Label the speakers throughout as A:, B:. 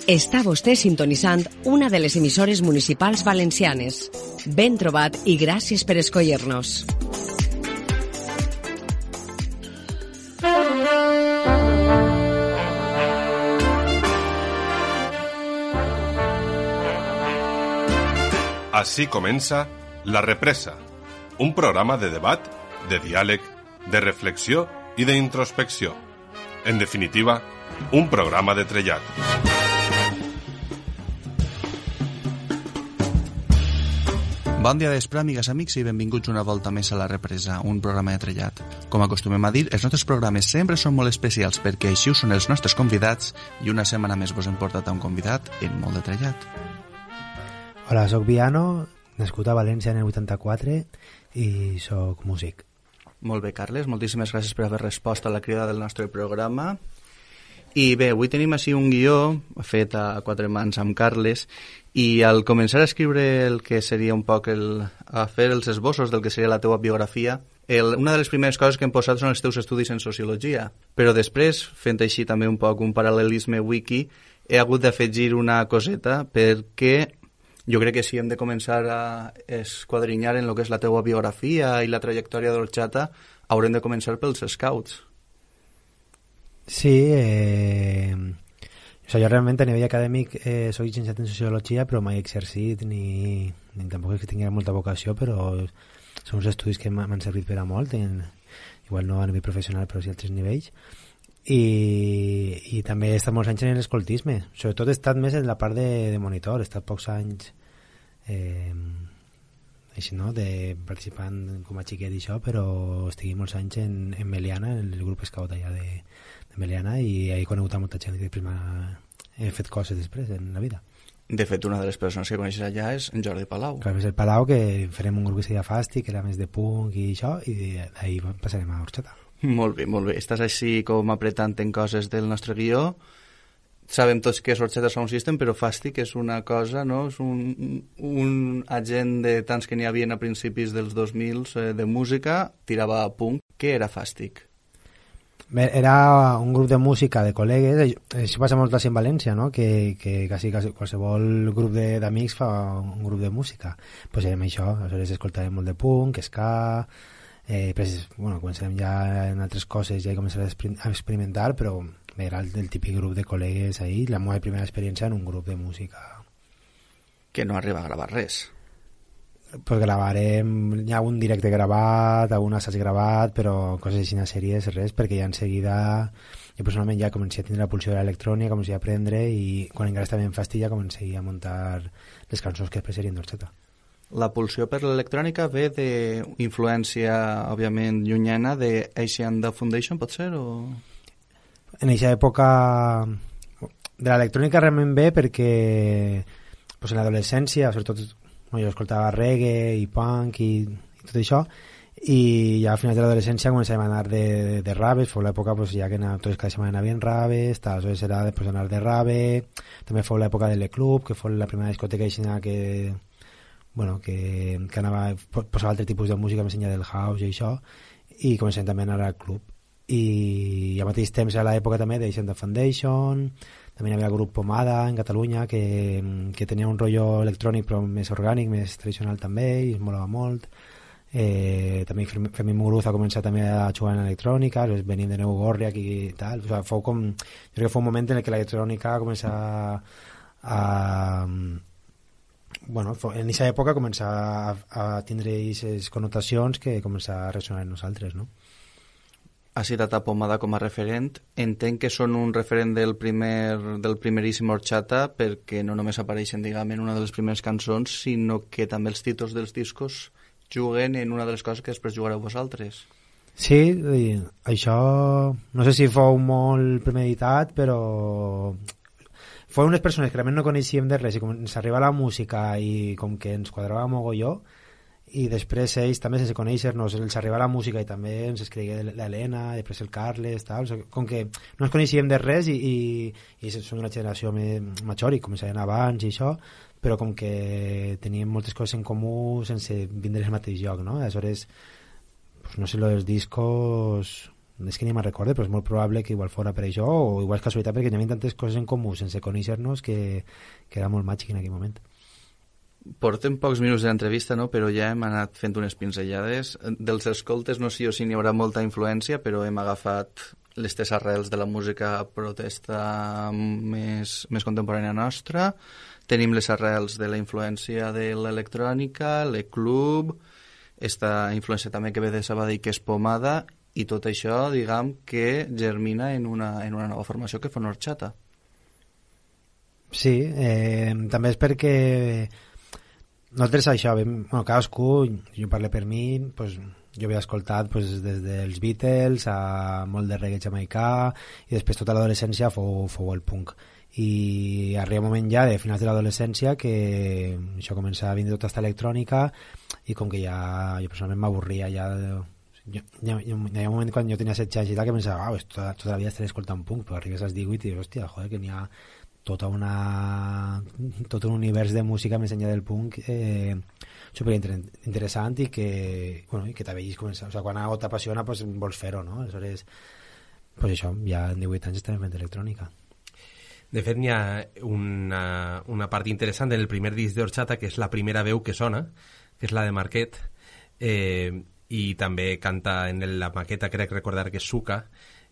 A: Està vostè sintonitzant una de les emissores municipals valencianes. Ben trobat i gràcies per escollir-nos.
B: Así comença La Represa, un programa de debat, de diàleg, de reflexió i d'introspecció. En definitiva, un programa de trellat.
C: Bon dia d'espre, amigues, amics, i benvinguts una volta més a La Represa, un programa de trellat. Com acostumem a dir, els nostres programes sempre són molt especials perquè així ho són els nostres convidats i una setmana més vos hem portat a un convidat en molt de trellat.
D: Hola, soc Viano, nascut a València en el 84 i soc músic.
C: Molt bé, Carles, moltíssimes gràcies per haver respost a la crida del nostre programa. I bé, avui tenim així un guió fet a quatre mans amb Carles i al començar a escriure el que seria un poc a fer els esbossos del que seria la teua biografia, una de les primeres coses que hem posat són els teus estudis en sociologia, però després, fent així també un poc un paral·lelisme wiki, he hagut d'afegir una coseta perquè jo crec que si hem de començar a esquadrinyar en el que és la teua biografia i la trajectòria d'Orxata, haurem de començar pels scouts.
D: Sí, jo realment a nivell acadèmic soc llicenciat en sociologia, però mai he exercit ni tampoc és que tingui molta vocació, però són uns estudis que m'han servit per a molt, igual no a nivell professional però sí a altres nivells. I també he estat molts anys en l'escoltisme, sobretot he estat més en la part de monitor, he estat pocs anys així, no?, de participant com a xiquet i això, però estigui molts anys en Meliana, en el grup scout allà de Meliana, i he conegut a molta gent que he fet coses després en la vida.
C: De fet, una de les persones que coneixes allà és en Jordi Palau.
D: Clar, és el Palau, que farem un grup que seria Fàstic, que era més de punk i això, i d'ahir passarem a Orxata.
C: Molt bé, molt bé. Estàs així com apretant en coses del nostre guió. Sabem tots que és Orxata Sound System, però Fàstic és una cosa, no? És un agent de tants que n'hi havia a principis dels 2000 de música, tirava a punk. Què era Fàstic?
D: Era un grup de música de col·legues, això passa molt en València, no? Que quasi qualsevol grup d'amics fa un grup de música. Pues érem això, aleshores escoltàvem molt de punk, ska. Començarem ja en altres coses, ja he començat a experimentar, però era el típic grup de col·legues ahí, la meva primera experiència en un grup de música.
C: Que no arriba a gravar res.
D: Pues gravarem, hi ha un directe gravat, algun assaig gravat, però coses així a sèries, res, perquè ja en seguida jo personalment ja comencé a tindre la pulsió de l'electrònica, comencé a aprendre, i quan encara estava en Fàstic ja comencé a muntar les cançons que després serien d'Orxata.
C: La pulsió per l'electrònica ve d'influència, òbviament, llunyana de Asian Dub Foundation, pot ser? O...
D: En aquesta època de l'electrònica realment ve perquè en l'adolescència, sobretot jo escoltava reggae i punk i tot això, i ja a finals de l'adolescència començàvem a anar de raves, fou l'època ja que totes cada setmana anàvem raves, aleshores era després anar de rave, també fou l'època de l'E-Club, que fou la primera discoteca que anava, posava altre tipus de música més enllà del house i això, i començàvem també a anar al club. I al mateix temps era l'època també d'Asian Dub Foundation, també hi havia el grup Pomada en Catalunya que tenia un rotllo electrònic però més orgànic, més tradicional també, i es molava molt. També Fermín Muguruza ha començat també a jugar en electrònica, venim de Nou Gorriac i tal, jo crec que fou un moment en què l'electrònica comença en aquesta època comença a tindre aquestes connotacions que comença a ressonar en nosaltres, no?
C: Has citat a Pomada com a referent. Entenc que són un referent del primeríssim Orxata perquè no només apareixen, diguem, en una de les primeres cançons, sinó que també els títols dels discos juguen en una de les coses que després jugareu vosaltres.
D: Sí, això no sé si fou molt premeditat, però fou unes persones que realment no coneixíem de res i com ens arriba la música i com que ens quadrava mogolló, i després ells també sense conèixer-nos els arriba la música i també ens escrigué l'Helena, després el Carles, tal. Com que no ens coneixíem de res i som d'una generació més major i començaven abans i això, però com que teníem moltes coses en comú sense vindre al mateix lloc, no? Aleshores, no sé, lo dels discos és que ni me'n recorde, però és molt probable que igual fora per això, o igual és casualitat perquè hi havia tantes coses en comú sense conèixer-nos que era molt màgic en aquell moment.
C: Portem pocs minuts de l'entrevista, no? Però ja hem anat fent unes pinzellades. Dels escoltes no sé si n'hi haurà molta influència, però hem agafat les tres arrels de la música protesta més contemporània nostra. Tenim les arrels de la influència de l'electrònica, l'e-club, esta influència també que ve de Sabadell, que és Pomada, i tot això, diguem, que germina en una nova formació que fa Orxata.
D: Sí, també és perquè nosaltres això, cadascú, jo parlo per mi, pues, jo havia escoltat pues, des dels Beatles a molt de reggae jamaicà i després tota l'adolescència fou el punk. I arriba un moment ja de finals de l'adolescència que això comença a vindre tota aquesta electrònica i com que ja jo personalment m'avorria ja hi havia un moment quan jo tenia 16 anys i tal que pensava, tota la vida estaré escoltant punk, però arribes als 18 i dius, hòstia, joder, que n'hi ha tot un univers de música més enllà del punk superinteressant i que t'ha vegis començar, o sigui, quan algo t'apassiona pues, vols fer-ho, no? Aleshores, pues això, ja en 18 anys estem fent electrònica.
E: De fet, n'hi ha una part interessant en el primer disc d'Orxata, que és la primera veu que sona, que és la de Marquet, i també canta en la maqueta, crec recordar que és Suca,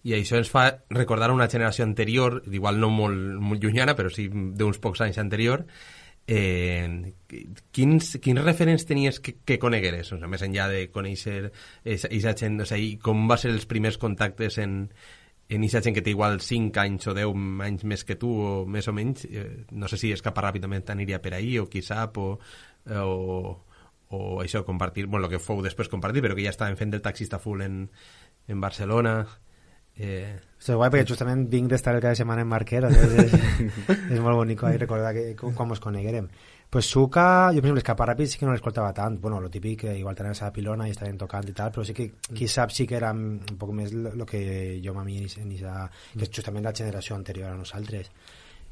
E: i això ens fa recordar una generació anterior, igual no molt llunyana, però sí d'uns pocs anys anterior. Quins referents tenies que conegueres? O sigui, més enllà de conèixer aquesta gent, o sigui, com va ser els primers contactes en aquesta gent que té igual 5 anys o 10 anys més que tu, o més o menys? No sé si Escapa ràpidament t'aniria per ahí, o qui sap, o això, compartir, bueno, el que fou després compartir, però que ja estaven fent del taxista full en Barcelona.
D: És guai perquè justament vinc d'estar cada setmana en Marquet, és molt bonic recordar com ens coneguerem. Pues Suca, jo per exemple Escapa Ràpid sí que no l'escoltava tant, bueno, lo típic que igual tenen a la pilona i estaven tocant i tal, però sí que qui sap sí que era un poc més el que jo m'ha que és justament la generació anterior a nosaltres.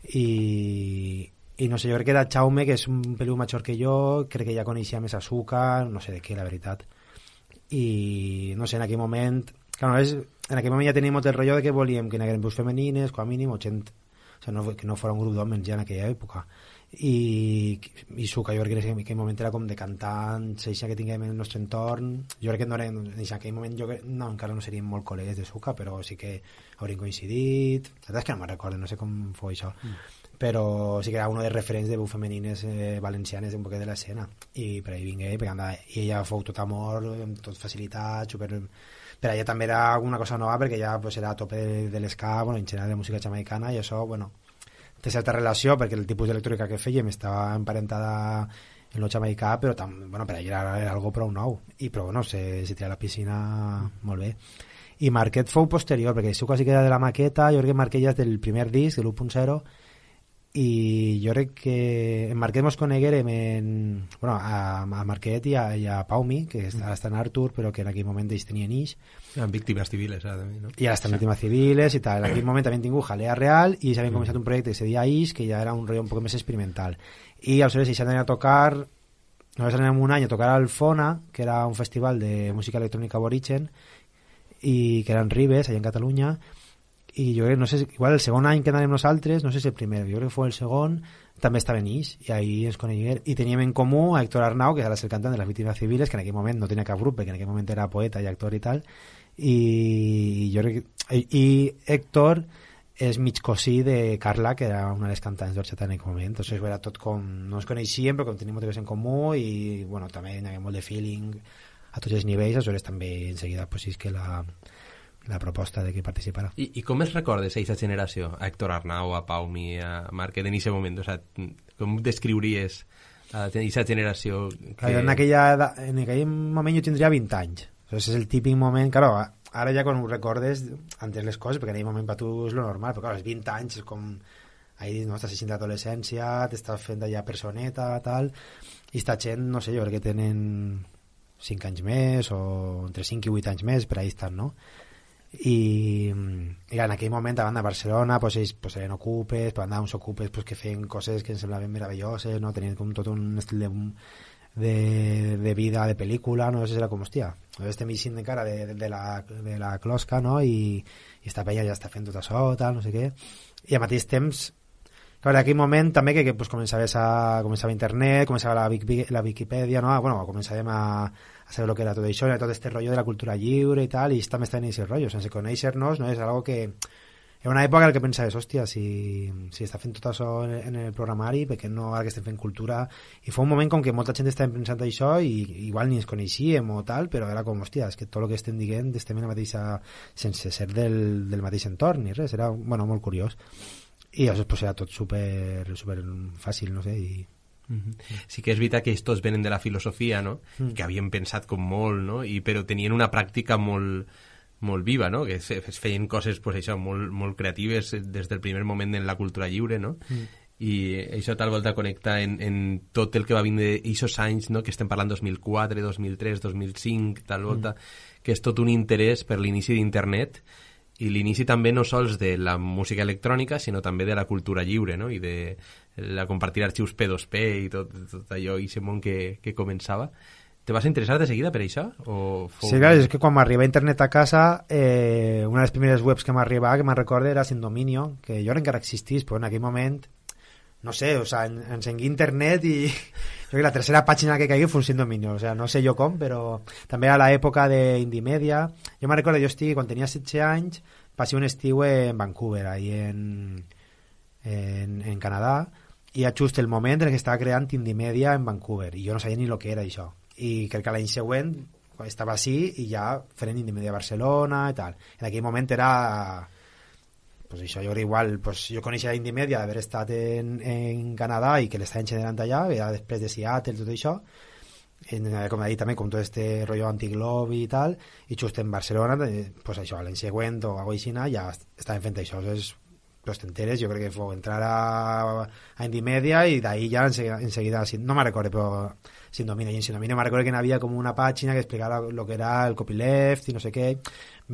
D: I no sé, jo crec que era Jaume, que és un peliu major que jo, crec que ja coneixia més a Suca, no sé de què, la veritat. I no sé, en aquell moment en aquell moment ja teníem molt el rotllo de que volíem que n'hagueren veus femenines, com a mínim, o gent, o sigui, que no fos un grup d'homes ja en aquella època. I Suca, jo crec que en aquell moment era com de cantants, això que tinguem en el nostre entorn. Jo crec que no era, en aquell moment encara no seríem molt col·legues de Suca, però sí que haurien coincidit. La veritat és que no me'n recordo, no sé com fou això. Però sí que era un dels referents de veus femenines valencianes un poquet de l'escena. I per ahí vingué, i ella fou tot amor, tot facilitat, super... Per allà també era una cosa nova perquè ja pues, era a tope de l'esca, bueno, en general de música jamaicana, i això, bueno, té certa relació perquè el tipus d'electrònica que fèiem estava emparentada en lo jamaicà, però bueno, per allà era algo prou nou i però bueno, se tira a la piscina molt bé. I Marquet fou posterior perquè Suca sí que era de la maqueta, jo crec que Marquet ja és del primer disc, de l'1.0, i jo crec que en Marquet mos coneguérem a Marquet i a Paumi, que ara està en Artur, però que en aquell moment ells tenien ix.
E: En Víctimes Civiles, també, no?
D: I ara estan Víctimes Civiles i tal. En aquell moment també han tingut Jalea Real i s'havien començat un projecte que se deia Ix, que ja era un rotllo un poc més experimental. I aleshores ells anaven a tocar, nosaltres anem un any a tocar al Fona, que era un festival de música electrònica aborigen, i que era en Ribes, allà en Catalunya, i jo crec, no sé, igual el segon any que anàvem nosaltres, no sé si el primer, jo crec que fou el segon, també estava en Ix, i ahí ens coneguem, i teníem en comú a Héctor Arnau, que ara és el cantant de les Víctimes Civiles, que en aquell moment no tenia cap grup, perquè en aquell moment era poeta i actor i tal, i jo crec i Héctor és mig cosí de Carla, que era una de les cantants d'Orxata en aquell moment, doncs era tot com, no ens coneixíem, però com tenim motius en comú, i bueno, també hi havia molt de feeling a tots els nivells, aleshores també en seguida pues, és que la proposta de que participara.
E: I com es recordes aquesta generació? A Héctor Arnau, a Paumi, a Marquet, en aquest moment? O sigui, com descriuries aquesta generació? Que...
D: En aquell moment jo tindria 20 anys. O sigui, és el típic moment... Claro, ara ja quan ho recordes, entens les coses, perquè en aquell moment per tu és lo normal, però clar, els 20 anys és com... Ahí no estàs sentint d'adolescència, t'estàs fent allà personeta, tal... I esta gent, no sé, jo crec que tenen 5 anys més, o entre 5 i 8 anys més, per ahí estan, no? I en aquell moment davant de Barcelona pues, ells pues, eren ocupes, davant d'uns ocupes pues, que feien coses que ens semblaven meravelloses, no? Tenien com tot un estil de vida, de pel·lícula, no sé, era com, hòstia, estem eixint encara de la closca, no? I esta penya ja està fent tot això, tal, no sé què, i al mateix temps, clar, en aquell moment també que pues, començava internet, començava la Viquipèdia, no? Bueno, començàvem a saber el que era tot això, era tot este rotllo de la cultura lliure i tal, i també està en aquest rotllo, sense conèixer-nos, no? És algo que era una època en què pensaves, hòstia, si està fent tot això en el programari, perquè no ara que estem fent cultura, i fue un moment com que molta gent estava pensant això i igual ni ens coneixíem o tal, però era com, hòstia, és que tot el que estem dient estem en la mateixa, sense ser del mateix entorn ni res, era, bueno, molt curiós, i llavors pues, era tot super fàcil, no sé, i
E: sí que és veritat que estos venen de la filosofia, no? Que havien pensat com molt, no? Però tenien una pràctica molt viva, no? Que es feien coses pues, això, molt creatives des del primer moment en la cultura lliure, no? I això tal volta connecta en tot el que va vindre aquests anys, no? Que estem parlant 2004, 2003, 2005, tal volta, que és tot un interès per l'inici d'internet i l'inici també no sols de la música electrònica, sinó també de la cultura lliure, no? I de la compartir arxius P2P i tot allò, i aquest món que començava. Te vas interessar de seguida per això?
D: Sí, clar, és que quan m'arriba internet a casa, una de les primeres webs que m'arribava, que me'n recordo, era Sin Dominio, que jo encara existís, però en aquell moment, no sé, o sea, encengui internet i jo crec que la tercera pàgina que caigui fue un Sin Dominio, o sea, no sé jo com, però també a l'època d'Indie Media, jo me'n recordo, quan tenia 16 anys, passé un estiu en Vancouver, ahí en Canadà, i a just el moment en què estava creant Indie Media en Vancouver, i jo no sabia ni el que era això, i crec que l'any següent estava així i ja fent Indie Media a Barcelona i tal. En aquell moment era pues això, jo crec igual, pues jo coneixia Indie Media d'haver estat en Canadà i que l'estaven generant allà, era després de Seattle, tot això, com he dit també, com tot este rotllo anti-globe i tal, i just en Barcelona, pues això, l'any següent o alguna cosa així, ja estaven fent això. És pues t'enteres, jo crec que fou entrar a Indie Media i d'ahí ja enseguida, no me'n recordo, però Sin Dominio, i en Sin Dominio me'n recordo que n'havia com una pàgina que explicava el que era el copyleft i no sé què,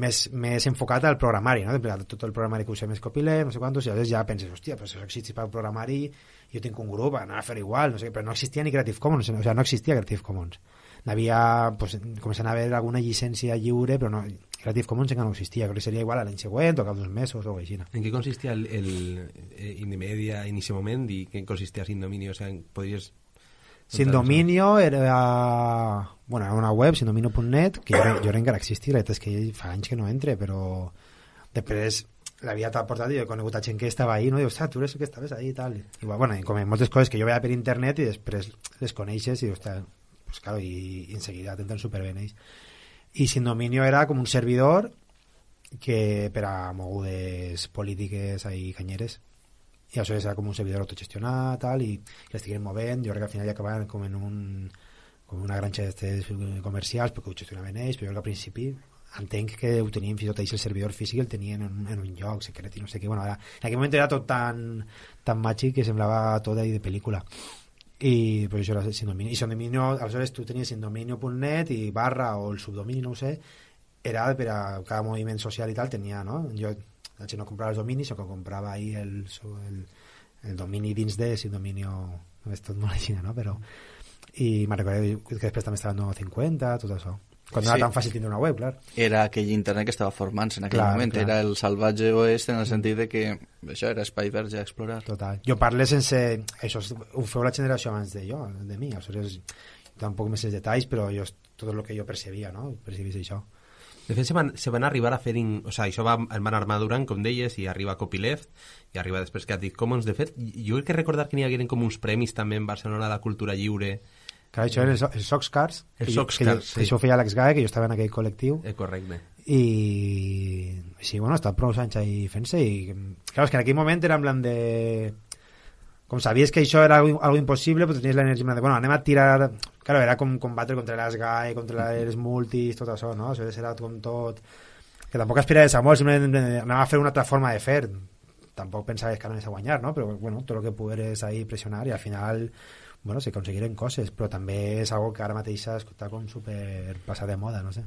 D: més enfocat al programari, no? Tot el programari que usem és copyleft, no sé quantos, i llavors ja penses, hòstia, però si això existís per programari, jo tinc un grup, anar a fer igual, no sé què, però no existia ni Creative Commons, o sigui, no existia Creative Commons. N'havia, pues, començant a haver alguna llicència lliure, però no, Creative Commons encara no existia, crec que seria igual a l'any següent o cap d'uns mesos o així.
E: En què consistia el Indie Media en aquest moment i què consistia Sin Dominio? O sigui, podries...
D: Sin Dominio era una web, sindominio.net, que jo encara existia, la veritat és que fa anys que no entre, però després l'havia portat i he conegut a gent que estava ahí, no? I dius, tu eres el que estaves ahí i tal. I bueno, com moltes coses que jo veia per internet i després les coneixes i dius, pues claro, i enseguida t'entren superben ells. I Sin Dominio era com un servidor que per a mogudes polítiques ahí canyeres, i això era com un servidor autogestionat tal, i l'estigueren movent. Jo crec que al final ja acabaven com en una granja d'estes comercials perquè ho gestionaven ells, però jo crec que al principi entenc que ho tenien fins i tot ells, el servidor físic el tenien en un lloc secret i no sé què. Bueno, en aquell moment era tot tan màgic que semblava tot ahí de pel·lícula. I per això era Sin Dominio. I Sin Dominio, aleshores tu tenies sindominio.net i barra o el subdomini, no ho sé, era per a cada moviment social i tal, tenia, no? Jo la gent no comprava els dominis, sinó que comprava ahí el domini dins de Sin Dominio, és tot molt així, no? Però, i me'n recordo que després també estava el 950, tot això. Quan no era tan fàcil tindre una web, clar.
C: Era aquell internet que estava formant-se en aquell moment, clar. Era el salvatge oest en el sentit de que això era espai verge a explorar.
D: Total. Jo parlo sense... Això ho feu la generació abans de mi, aleshores tampoc més els detalls, però tot el que jo percebia, no? Percebís això.
E: De fet, se van arribar a fer... O sigui, això van anar madurant, com deies, i arriba Copyleft, i arriba després Creative Commons. De fet, jo crec que recordar que n'hi hagueren com uns premis també en Barcelona de la cultura lliure.
D: Clar, això era el Soxcars.
E: El Soxcars, sí.
D: Això ho feia Alex Gae, que jo estava en aquell col·lectiu.
E: Correcte.
D: I sí, bueno, està prou anys ahí fent-se, i clar, és que en aquell moment era en plan de... Com sabies que això era algo impossible, pues tenies l'energia de, bueno, anem a tirar... Claro, era com combatre contra les GAE, contra les multis, tot això, no? Això era com tot... Que tampoc aspiraves a molt, simplement anava a fer una altra forma de fer. Tampoc pensaves que anaves a guanyar, no? Però, bueno, tot el que pogueres ahí pressionar, i al final, bueno, se aconseguiren coses, però també és algo que ara mateix està com super passat de moda, no sé.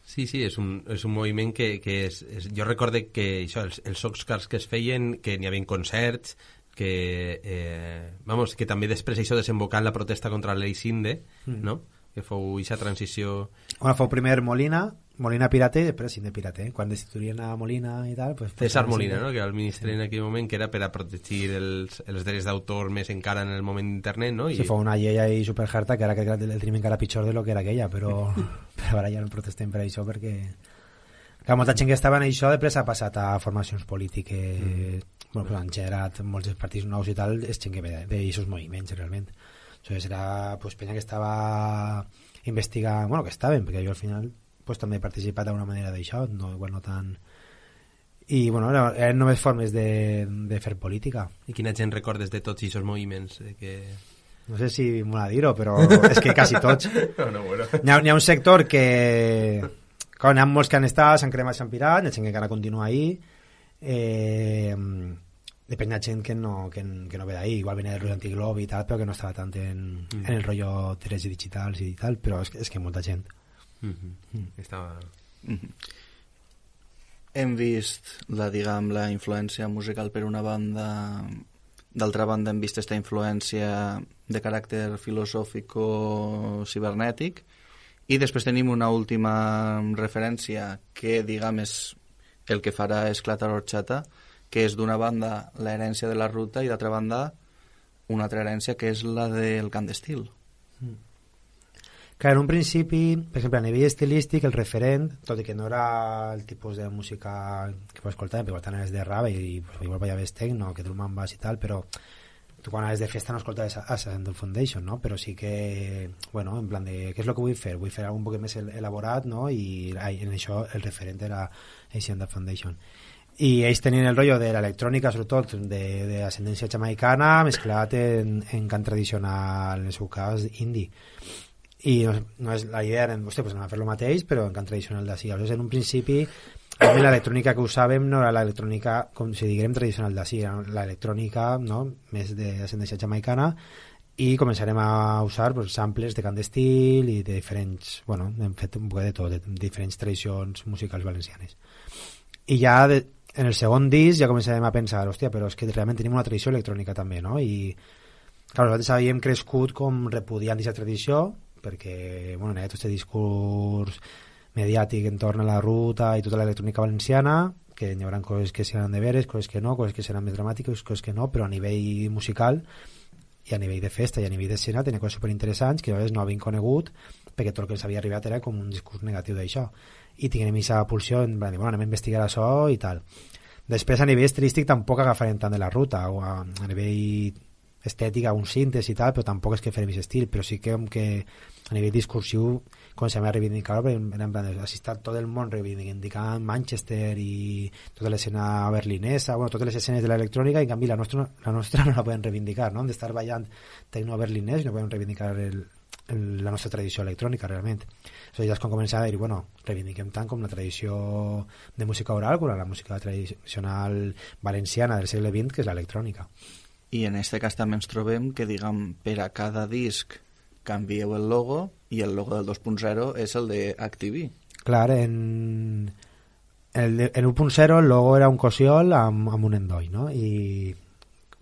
E: Sí, és un moviment que és... Jo recorde que això, els Soxcars que es feien, que n'hi havia concerts, que també després això desembocar en la protesta contra la llei Sinde, no? Que fou aquesta transició...
D: Bueno, fou primer Molina Pirate i després Sinde Pirate. Quan destituïen a Molina i tal... Pues,
E: César Molina, no? Que era el ministre en aquell moment, que era per a protegir els drets d'autor més encara en el moment d'internet, no?
D: Sí, fou una llei ahí superharta que ara que el tenim encara pitjor de lo que era aquella, però ara ja no protestem per això perquè... Clar, molta gent que estava en això després ha passat a formacions polítiques, bueno, pues han generat molts partits nous i tal, és gent que ve d'aixòs moviments, realment. Entonces era pues penya que estava investigant, bueno, que estaven, perquè jo al final pues també he participat d'alguna manera d'això, no, igual no tant... I bueno, eren només formes de fer política.
E: I quina gent recordes de tots aquests moviments?
D: No sé si mola dir-ho, però és que quasi tots.
E: Bueno.
D: N'hi ha un sector que... Clar, n'hi ha molts que han estat, s'han cremat, s'han pirat, hi ha gent que encara continua ahí. Depèn de gent que no ve d'ahí, igual venia del rotllo antiglob i tal, però que no estava tant en el rotllo drets digitals i tal, però és que molta gent.
E: Estava...
C: Hem vist la influència musical per una banda, d'altra banda hem vist aquesta influència de caràcter filosòfic o cibernètic, i després tenim una última referència que, diguem, és el que farà esclatar l'orxata, que és d'una banda l'herència de la ruta i d'altra banda una altra herència que és la del cant d'estil.
D: Que en un principi, per exemple, a nivell estilístic, el referent, tot i que no era el tipus de música que pots escoltar, perquè igual anaves de rave i pues, igual ballaves techno, que drum and bass i tal, però tu quan anaves de festa no escoltaves Ascendant Foundation, no? Però sí que, bueno, en plan de, què és el que vull fer? Vull fer algun poc més elaborat, no? I en això el referent era Ascendant Foundation. I ells tenien el rotllo de l'electrònica, sobretot d'ascendència jamaicana, mesclat en cant tradicional, en el seu cas, indie. I no és, la idea era, hòstia, pues anem a fer el mateix, però en cant tradicional d'ací. Aleshores, en un principi, l'electrònica que usàvem no era l'electrònica, com si diguem, tradicional d'ací, era l'electrònica, no?, més d'ascendència jamaicana, i començarem a usar pues, samples de cant d'estil i de diferents, bueno, hem fet un poc de tot, de diferents tradicions musicals valencianes. I ja en el segon disc ja començarem a pensar, hòstia, però és que realment tenim una tradició electrònica també, no? I clar, nosaltres havíem crescut com repudiant aquesta tradició, perquè, bueno, hi ha tot aquest discurs mediàtic entorn a la ruta i tota l'electrònica valenciana, que hi haurà coses que seran de veres, coses que no, coses que seran més dramàtiques, coses que no, però a nivell musical i a nivell de festa i a nivell d'escena tenia coses superinteressants que nosaltres no havien conegut perquè tot el que ens havia arribat era com un discurs negatiu d'això. I tinguem aquesta pulsió en plan, bueno, anem a investigar això i tal. Després a nivell estilístic tampoc agafarem tant de la ruta, o a nivell estètica, un síntesi i tal, però tampoc és que farem aquest estil, però sí que a nivell discursiu comencem a reivindicar-ho, perquè en plan, ha estat tot el món reivindicant Manchester i tota l'escena berlinesa, bueno, totes les escenes de l'electrònica, i en canvi la nostra no la podem reivindicar, no? Hem d'estar ballant tecno berlinès i no podem reivindicar la nostra tradició electrònica realment. Ja és com començar a dir, bueno, reivindiquem tant com la tradició de música oral com la música tradicional valenciana del segle XX, que és l'electrònica.
C: I en aquest cas també ens trobem que, diguem, per a cada disc canvieu el logo i el logo del 2.0 és el de Activi.
D: Clar, en 1.0 el logo era un cosiol amb un endoll, no? I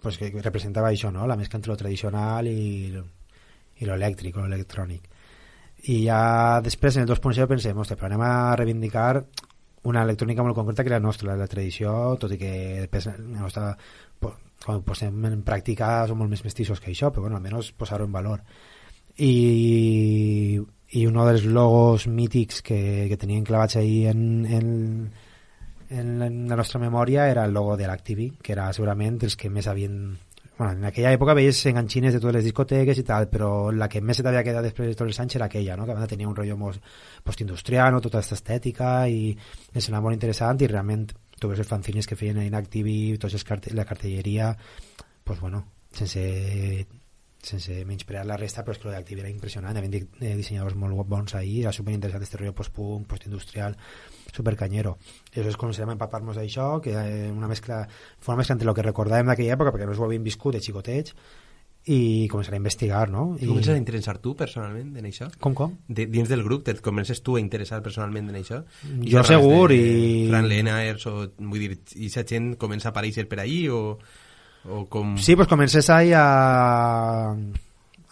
D: pues, que representava això, no? La mescla entre lo tradicional i lo elèctric, lo electrònic. I ja després en el 2.0 pensem, ostres, però anem a reivindicar una electrònica molt concreta que era la nostra, la tradició, tot i que després la nostra, quan ho posem en pràctica som molt més mestissos que això, però bueno, almenys posar-ho en valor. I un dels logos mítics que tenien clavats ahí en la nostra memòria era el logo de l'Activi, que era segurament els que més havien... Bueno, en aquella època veies enganxines de totes les discoteques i tal, però la que més se t'havia quedat després de tots els anys era aquella, no? Que a banda tenia un rotllo postindustrial, no? Tota aquesta estètica, i em semblava molt interessant, i realment tu veus els fanzines que feien en Activi, la cartelleria, pues bueno, sense menysprear la resta, però és que l'Activi era impressionant, havien dissenyadors molt bons ahir, era superinteressant este rotllo post-punk, postindustrial, supercanyero. I llavors començarem a empapar-nos d'això, que fue una mescla entre el que recordàvem d'aquella època, perquè no ho havíem viscut de xicotets, i començarem a investigar, no?
E: I comences a interessar tu personalment en això?
D: Com?
E: Dins del grup, et comences tu a interessar personalment en això?
D: Jo segur, i...
E: Fran Lenaers, o vull dir, i aquesta gent comença a aparèixer per ahí, o... O com...
D: Sí, pues comencés ahí a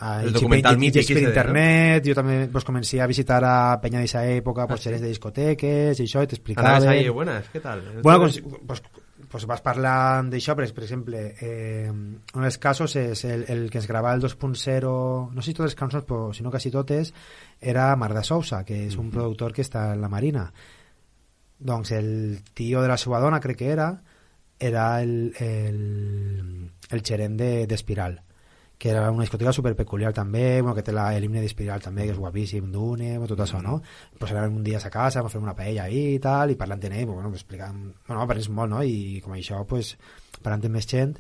E: el documental mític
D: per internet, jo també pues, comencé a visitar a Peña d'aquesta època, pues, xerès de discoteques i això, i t'explicaven...
E: Anaves ahí, buenas, què tal?
D: Bueno, pues vas parlant d'això, per exemple, un dels casos és el que es gravava el 2.0, no sé si totes les cançons, però si no quasi totes, era Marc de Sousa, que és un productor que està en la Marina. Doncs el tio de la seva dona, crec que era el gerent d'Espiral, que era una discoteca super peculiar també, bueno, que té l'himne d'Espiral també, que és guapíssim, Dune, tot això, no? Pues anàvem un dia a sa casa, vam fer una paella ahí i tal, i parlant en ell, bueno, explicant, bueno, parlant molt, no? I com això, pues, parlant amb més gent,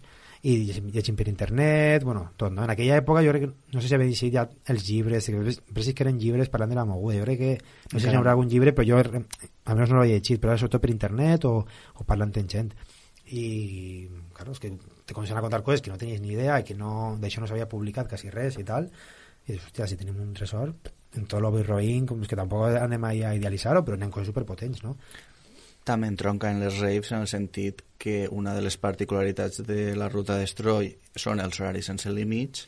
D: i llegint per internet, bueno, tot, no? En aquella època jo crec que, no sé si havia llegit ja els llibres, però sí que eren llibres parlant de la moguda, jo crec que, no sé si hi haurà algun llibre, però jo almenys no l'he llegit, però sobretot per internet o parlant amb gent. I claro, és que te comencen a contar coses que no tenies ni idea i que d'això no s'havia publicat quasi res i tal, i dius, hòstia, si tenim un tresor en tot l'Obi Roïn, com és que tampoc anem a idealitzar-ho, però anem coses superpotents, no?
C: També entronca en les raves en el sentit que una de les particularitats de la Ruta Destroy són els horaris sense límits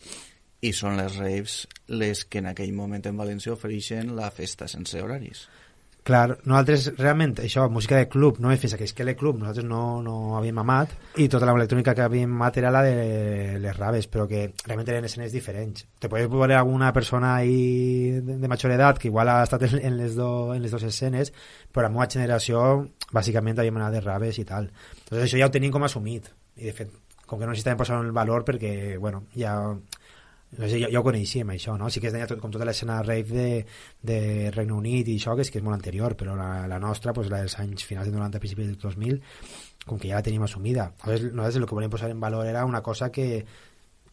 C: i són les raves les que en aquell moment en València ofereixen la festa sense horaris.
D: Clar, nosaltres realment, això, música de club, no? Fins a que Esquele Club nosaltres no havíem amat, i tota l'electrònica que havíem amat era la de les raves, però que realment eren escenes diferents. Te podes veure alguna persona ahí de major edat que igual ha estat en les dues escenes, però la meva generació bàsicament havíem anat de raves i tal. Entonces això ja ho tenim com assumit, i de fet, com que no necessitàvem posar el valor perquè, bueno, ja... No sé, ja ho coneixíem això, no? Sí que es deia com tota l'escena rave de Regne Unit i això, que és molt anterior, però la nostra, pues, la dels anys finals de 90, principis del 2000, com que ja la tenim assumida. Nosaltres el que volíem posar en valor era una cosa que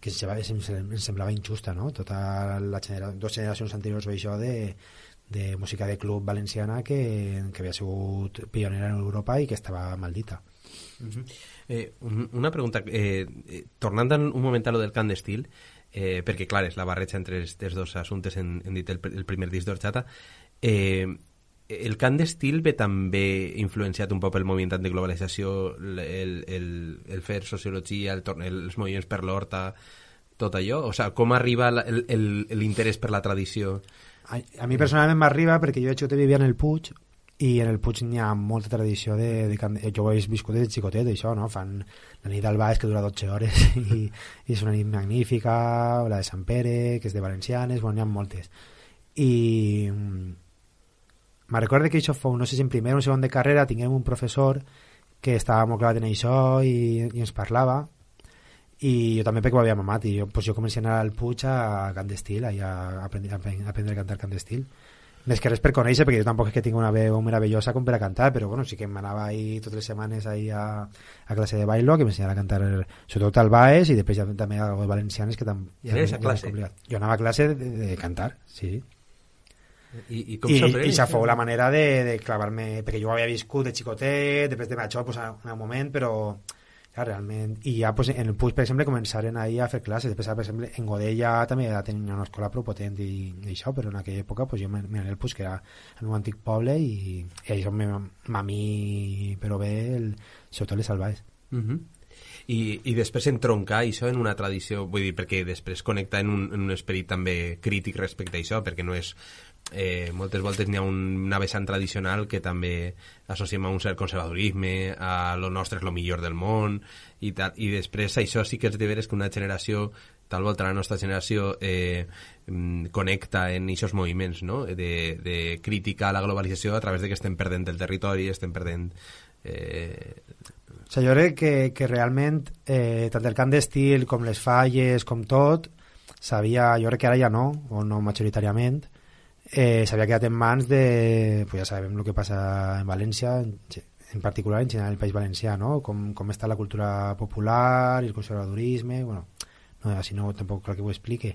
D: ens semblava injusta, no? Tota dues generacions anteriors o això de música de club valenciana que havia sigut pionera en Europa i que estava maldita.
E: Una pregunta, tornant un moment a lo del cant d'estil, perquè clar, és la barreja entre els dos assumptes hem dit el primer disc d'Orxata, el cant d'estil ve també influenciat un poc pel moviment de globalització, el fer sociologia, els moviments per l'horta, tot allò? O sigui, com arriba l'interès per la tradició?
D: A mi personalment m'arriba perquè jo vivia en el Puig, i en el Puig n'hi ha molta tradició jo ho he viscut des de xicotet, això, no? Fan la nit del Baix, que dura 12 hores i és una nit magnífica, la de Sant Pere, que és de valencianes, bueno, n'hi ha moltes. I me recordo que això fou, no sé si en primer o en segon de carrera tinguem un professor que estava molt clavat en això i ens parlava, i jo també perquè ho havia mamat, i jo comencé a anar al Puig a cant d'estil, a aprendre a cantar cant d'estil. Més que res per conèixer, perquè jo tampoc és que tinc una veu meravellosa com per a cantar, però bueno, sí que m'anava ahí totes les setmanes ahí a classe de bailo, que m'ensenyava a cantar sobretot al Baix, i després ja també a les valencianes, que també...
E: I anaves a classe?
D: Jo anava a classe de cantar, sí.
E: I com s'aprèn?
D: I això fou la manera de clavar-me, perquè jo ho havia viscut de xicotet, després de això, pues, en un moment, però... Clar, realment, i ja pues, en el Puig, per exemple, començaren ahir a fer classes. Després, per exemple, en Godella també ja tenia una escola prou potent i això, però en aquella època pues, jo m'anava al Puig, que era el meu antic poble, i això m'amí, però bé, sobretot les salvaes.
E: I després entroncar això en una tradició, vull dir, perquè després connecta en un esperit també crític respecte a això, perquè no és... moltes voltes n'hi ha una vessant tradicional que també associem a un cert conservadorisme, a lo nostre és lo millor del món i tal, i després això sí que és de veres que una generació, tal volta la nostra generació connecta en aquests moviments, no? de crítica a la globalització a través de que estem perdent el territori, estem perdent...
D: O sigui, jo crec que realment tant el cant d'estil com les falles, com tot, jo crec que ara ja no, o no majoritàriament, s'havia quedat en mans de... Pues ja sabem el que passa en València, en particular en general el País Valencià, no? Com està la cultura popular i el conservadorisme, bueno, no, així no tampoc cal que ho explique,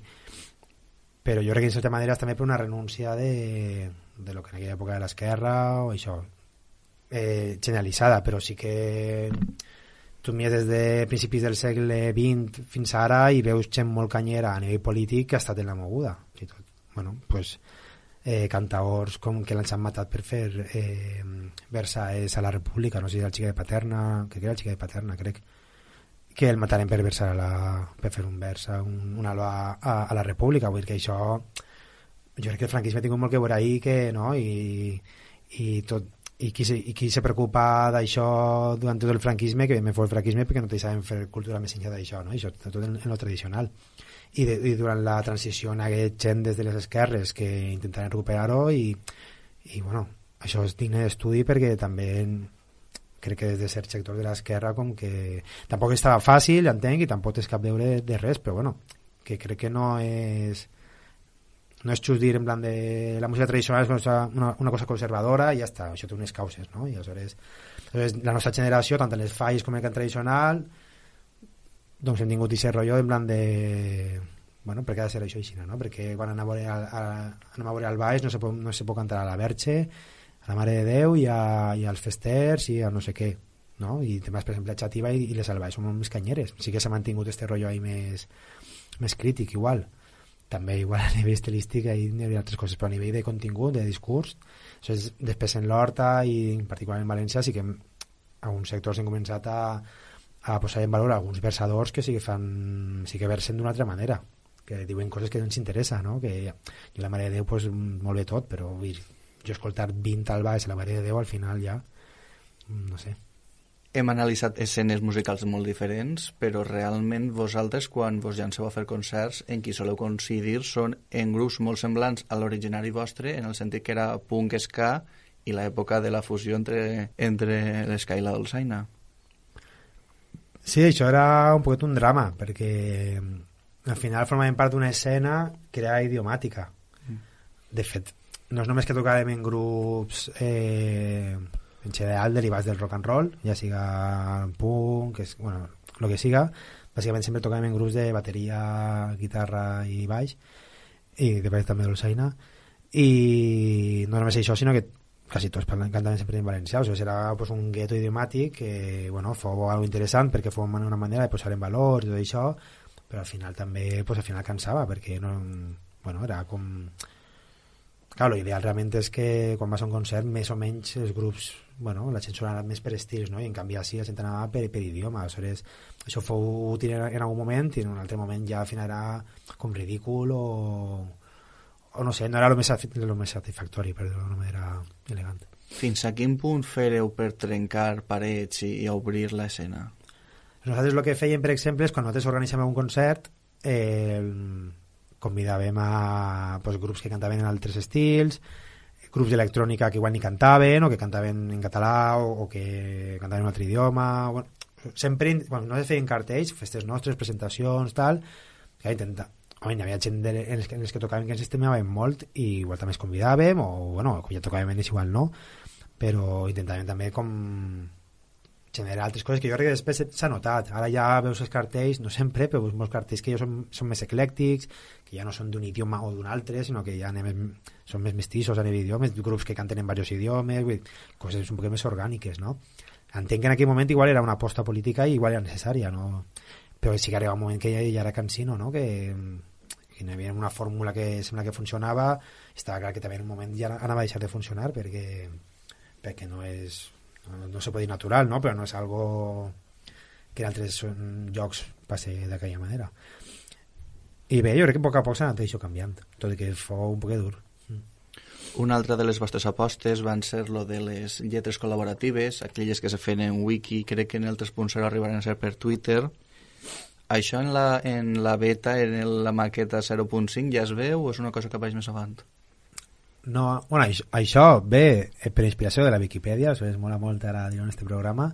D: però jo crec que en certa manera és també per una renúncia de lo que en aquella època de l'esquerra o això, generalitzada, però sí que tu mires des de principis del segle XX fins ara i veus gent molt canyera a nivell polític que ha estat en la moguda i tot. Bueno, pues cantaors com que l'han matat per fer Versaes a la República, no sé si era el Xica de Paterna, crec que era el Xica de Paterna, crec que el mataren per fer un vers una a la República. Vull dir que això, jo crec que el franquisme ha tingut molt que veure ahí, que, no? I qui se preocupa d'això durant tot el franquisme, que me fue el franquisme perquè no te saben fer cultura més enllà d'això, no? I això tot en lo tradicional. I durant la transició en aquest gent des de les esquerres que intentaren recuperar-ho i bueno, això és digne d'estudi perquè també crec que des de cert sector de l'esquerra com que tampoc estava fàcil, entenc, i tampoc és cap deure de res, però bueno, que crec que no és just dir en plan de la música tradicional és una cosa conservadora i ja està, això té unes causes, no? I aleshores la nostra generació, tant en les falles com en el cant tradicional, doncs hem tingut aquest rotllo en plan de bueno, per què ha de ser això així, no? Perquè quan anem a veure al baix no se pot cantar a la Verge, a la Mare de Déu i als festers i a no sé què, no? I temes, per exemple, a Xativa i les al baix són molt més canyeres, sí que s'ha mantingut este rotllo ahí més crític, igual també igual a nivell estilístic hi ha altres coses, però a nivell de contingut, de discurs, després en l'Horta i particularment en València sí que alguns sectors han començat a posar en valor alguns versadors que sí que versen d'una altra manera, que diuen coses que no ens interessa, no? Que i la Mare de Déu pues, molt bé tot, però jo escoltar 20 al baix a la Mare de Déu al final ja no sé.
C: Hem analitzat escenes musicals molt diferents, però realment vosaltres, quan vos llanceu a fer concerts, en qui soleu coincidir són en grups molt semblants a l'originari vostre, en el sentit que era punk, ska i l'època de la fusió entre l'ska i la dolçaina.
D: Sí, això era un poquet un drama, perquè al final formaven part d'una escena que era idiomàtica. De fet, no és només que tocàvem en grups en general derivats del rock and roll, ja siga punk, bueno, lo que siga, bàsicament sempre tocàvem en grups de bateria, guitarra i baix, i després també dolçaina, i no només això, sinó que quasi tots cantaven sempre en valencià, o sigui, era pues, un gueto idiomàtic que, bueno, fou algo interessant perquè fou una manera de posar en valor i tot això, però al final també, pues, al final cansava, perquè no, bueno, era com... Clar, l'ideal realment és que quan vas a un concert més o menys els grups, bueno, la gent sonava més per estils, no? I en canvi així la gent anava per idioma. Aleshores, això fou útil en algun moment i en un altre moment ja al final era com ridícul o no sé, no era el més satisfactori, per dir-ho d'una manera elegant.
C: Fins a quin punt fereu per trencar parets i obrir l'escena?
D: Nosaltres el que fèiem, per exemple, és quan nosaltres organitzem un concert convidàvem a pues, grups que cantaven en altres estils, grups d'electrònica que igual ni cantaven o que cantaven en català o que cantaven en un altre idioma. Bueno, sempre, bueno, no es feien cartells, festes nostres, presentacions, tal, que intenta. Home, hi havia gent en els que tocaven que ens estimaven molt i igual també es convidàvem o, bueno, ja tocàvem en ells igual no, però intentàvem també com generar altres coses que jo crec que després s'ha notat. Ara ja veus els cartells, no sempre, però veus molts cartells que ja són més eclèctics, que ja no són d'un idioma o d'un altre, sinó que ja són més mestissos a nivell d'idiomes, grups que canten en diversos idiomes, coses un poc més orgàniques, no? Entenc que en aquell moment igual era una aposta política i igual era necessària, no? Però sí que arriba un moment que ja era cansino, no? Que hi havia una fórmula que sembla que funcionava, estava clar que també en un moment ja anava a deixar de funcionar perquè no és... no se pot dir natural, no? Però no és algo que en altres llocs passe d'aquella manera. I bé, jo crec que a poc s'ha anat això canviant, tot i que fou un poc dur.
C: Una altra de les vostres apostes van ser lo de les lletres col·laboratives, aquelles que se feien en wiki, crec que en el 3.0 arribaran a ser per Twitter. Això en la beta, en la maqueta 0.5 ja es veu o és una cosa que vaig més avant?
D: No, bueno, això ve per inspiració de la Viquipèdia, això es mola molt ara dir en este programa,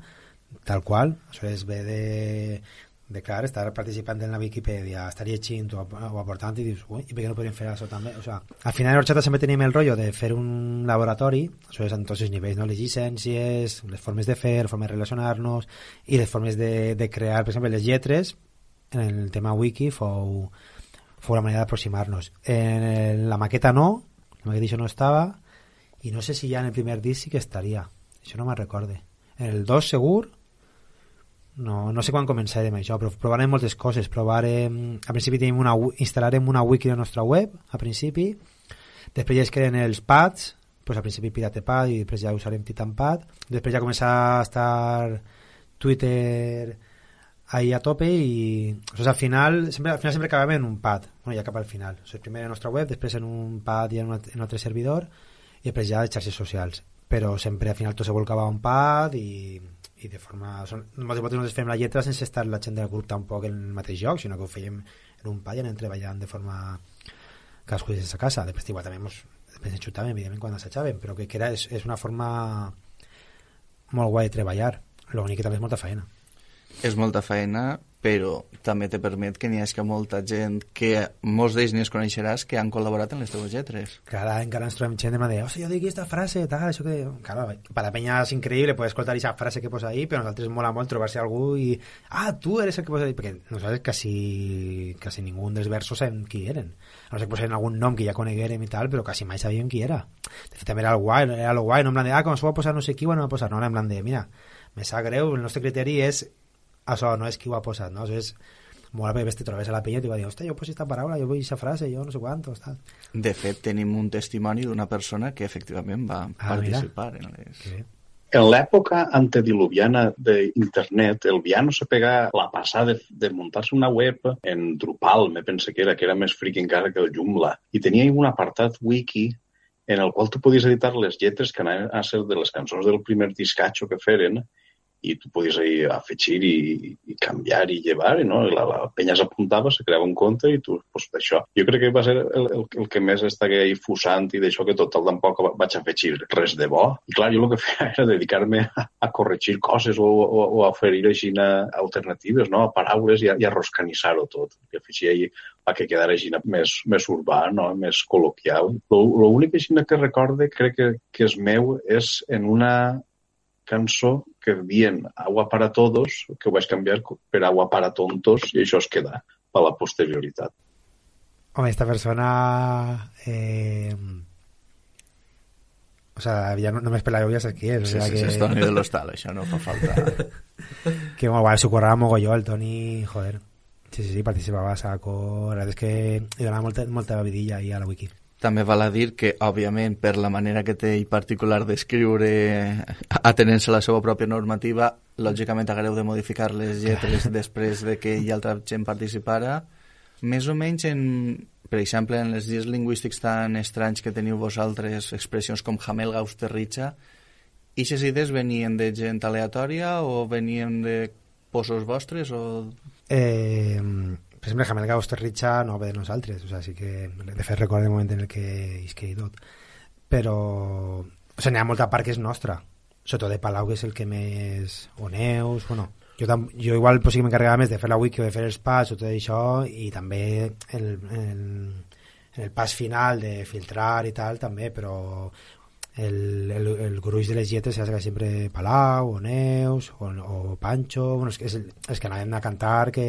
D: tal qual, això es ve de clar, estar participant en la Viquipèdia, estar llegint o aportant i dius, ui, i per què no podríem fer això també? O sea, al final en Horchata sempre tenim el rotllo de fer un laboratori, això és en tots els nivells, no? Les llicències, les formes de fer, les formes de relacionar-nos i les formes de crear, per exemple, les lletres, en el tema wiki fou la manera d'aproximar-nos. En la maqueta no, la maqueta això no estava, i no sé si ja en el primer disc sí que estaria, això no me'n recorde. En el 2 segur, no sé quan començarem això, però provarem moltes coses. A principi instal·larem una wiki a la nostra web, a principi, després ja es queden els pads, pues al principi Piratepad i després ja usarem Titanpad, després ja comença a estar Twitter ahí a tope i al final sempre acabem en un pad, bueno, ja cap al final, primer en la nostra web, després en un pad i en un altre servidor i després ja les xarxes socials, però sempre al final tot se volcava a un pad i de forma... Nosaltres fem la lletra sense estar la gent del grup tampoc en el mateix lloc, sinó que ho fèiem en un pad i anem treballant de forma cadascú des de sa casa, després igual també després enxutàvem evidentment quan assajàvem, però que és una forma molt guai de treballar, l'únic que també és molta feina.
C: És molta feina, però també te permet que n'hi hagi molta gent que molts d'ells ni es coneixeràs que han col·laborat en les teves lletres.
D: Clar, encara ens trobem gent de dir, jo dic aquesta frase, tal, això que... Claro, per la penya és increïble poder escoltar aquesta frase que posa ahí, però a nosaltres mola molt trobar-se algú i... tu eres el que posa ahí, perquè nosaltres quasi ningú dels versos sabem qui eren. No sé que posen algun nom que ja coneguérem i tal, però quasi mai sabíem qui era. De fet, també era lo guai, no en plan de, com s'ho va posar no sé qui, bueno, va posar, no, en plan de, mira, me sap greu, el nostre criteri és això, no és qui ho ha posat, no? Això és molt bé, te trobes a la penya i t'ho va dir, hòstia, jo poso aquesta paraula, jo vull aquesta frase, jo no sé quantos, tal.
C: De fet, tenim un testimoni d'una persona que efectivament va participar en les...
F: En l'època antediluviana d'internet, el Viano se pega la passada de muntar-se una web en Drupal, me pense que era més fric encara que el Joomla, i tenia un apartat wiki en el qual tu podies editar les lletres que anaven a ser de les cançons del primer discatxo que feren, i tu podies afegir i canviar i llevar, no? La penya s'apuntava, se creava un compte i tu, pues, això. Jo crec que va ser el que més estava ahí fusant i d'això que total tampoc vaig afegir res de bo. I clar, jo el que feia era dedicar-me a corregir coses o a oferir així alternatives, no? A paraules i a roscanissar-ho tot. I afegir ahí a que quedara així més urbà, no? Més col·loquial. L'únic així que recorde, crec que és meu, és en una cançó que dient agua para todos, que ho vaig canviar per agua para tontos, i això es queda per la posterioritat.
D: Home, esta persona o sea, ja només per la veu ja saps qui és.
C: Sí, és Toni de l'Hostal, això no fa falta.
D: Que molt guai, s'ho currava mogolló el Toni, joder. Sí, participava a saco, la veritat és que li donava molta vidilla ahí a la wiki.
C: També val a dir que, òbviament, per la manera que té i particular d'escriure, atenent-se a la seva pròpia normativa, lògicament hagueu de modificar les lletres després de que hi altra gent participara. Més o menys, per exemple, en els dies lingüístics tan estranys que teniu vosaltres, expressions com jamelga, austerritxa, ixes idees venien de gent aleatòria o venien de posos vostres?
D: Per exemple, Jamelga Austerritxa no ve de nosaltres, o sea, sí que de fet recordo el moment en el que isquei tot, però n'hi ha molta part que és nostra, sobretot de Palau, que és el que més Oneus, bueno, jo igual pues, sí que m'encarregava més de fer la wiki o de fer els pas o tot això, i també el pas final de filtrar i tal també, però el gruix de les lletres és sempre Palau, Oneus o Pancho, bueno, és que anàvem a cantar que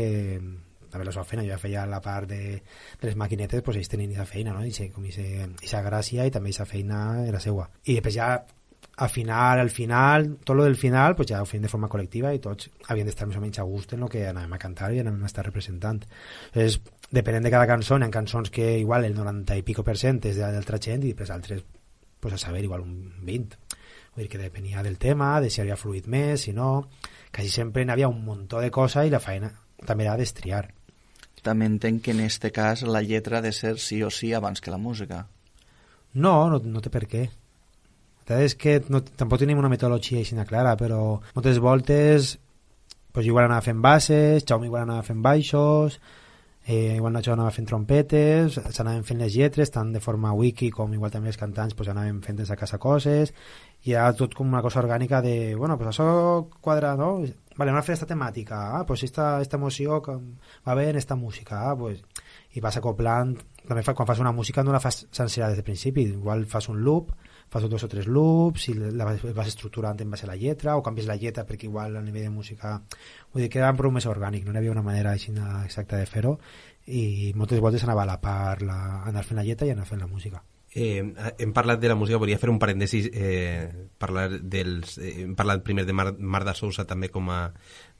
D: també la seva feina, jo ja feia la part de les maquinetes, pues ells tenien aquesta feina, no? I aquesta gràcia i també aquesta feina era seua. I després ja al final, tot lo del final, pues ja ho fèiem de forma col·lectiva i tots havien d'estar més o menys a gust en el que anàvem a cantar i anàvem a estar representant. Entonces, depenent de cada cançó, hi ha cançons que igual el 90 i pico % és d'altra gent i després altres, pues a saber, igual un 20. Vull dir que depenia del tema, de si havia fluït més, si no... Quasi sempre n'hi havia un muntó de coses i la feina també era d'estriar.
C: També entenc que en este cas la lletra ha de ser sí o sí abans que la música.
D: No té per què. És que tampoc tenim una metodologia així clara, però moltes voltes pues, igual anava fent bases, Jaume igual anava fent baixos, igual Nacho anava fent trompetes, s'anaven fent les lletres, tant de forma wiki com igual també els cantants pues, anaven fent des a casa coses, i era tot com una cosa orgànica de, bueno, pues això quadra, no? Vale, anem a fer esta temàtica, pues esta emoció que va bé en esta música, pues, i vas acoplant, també quan fas una música no la fas sencera des del principi, igual fas un loop, fas 2 o 3 loops i la vas estructurant en base a la lletra o canvies la lletra perquè igual a nivell de música vull dir que era prou més orgànic, no hi havia una manera així exacta de fer-ho i moltes voltes anava a la part anar fent la lletra i anar fent la música.
E: Hem parlat de la música, volia fer un parèntesis, hem parlat primer de Marta Sousa també com a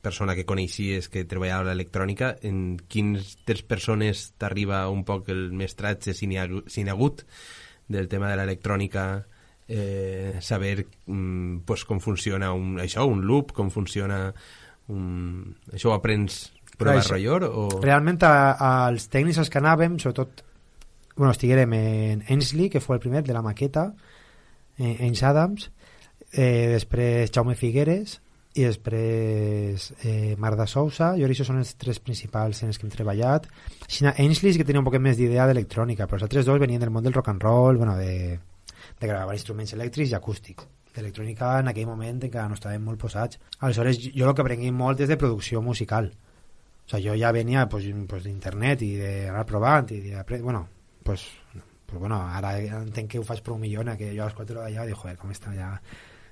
E: persona que coneixies que treballava a l'electrònica. En quines persones t'arriba un poc el mestratge si n'hi ha hagut del tema de l'electrònica, saber pues, com funciona un loop, com funciona Això ho aprens prova error o...
D: Realment als tècnics als que anàvem, sobretot estiguérem en Ainsley, que fou el primer de la maqueta, Ains Adams, després Jaume Figueres i després Marda Sousa. Jo això són els tres principals en els que hem treballat. Ainsley sí que tenia un poc més d'idea d'electrònica, però els altres dos venien del món del rock and roll, de gravar instruments elèctrics i acústics. D'electrònica en aquell moment encara no estàvem molt posats. Aleshores jo el que aprengui molt és de producció musical. O sea, jo ja venia pues d'internet i d'anar provant i ara entenc que ho faig prou millor, que jo a les 4 d'allà dic, joder, com està ja,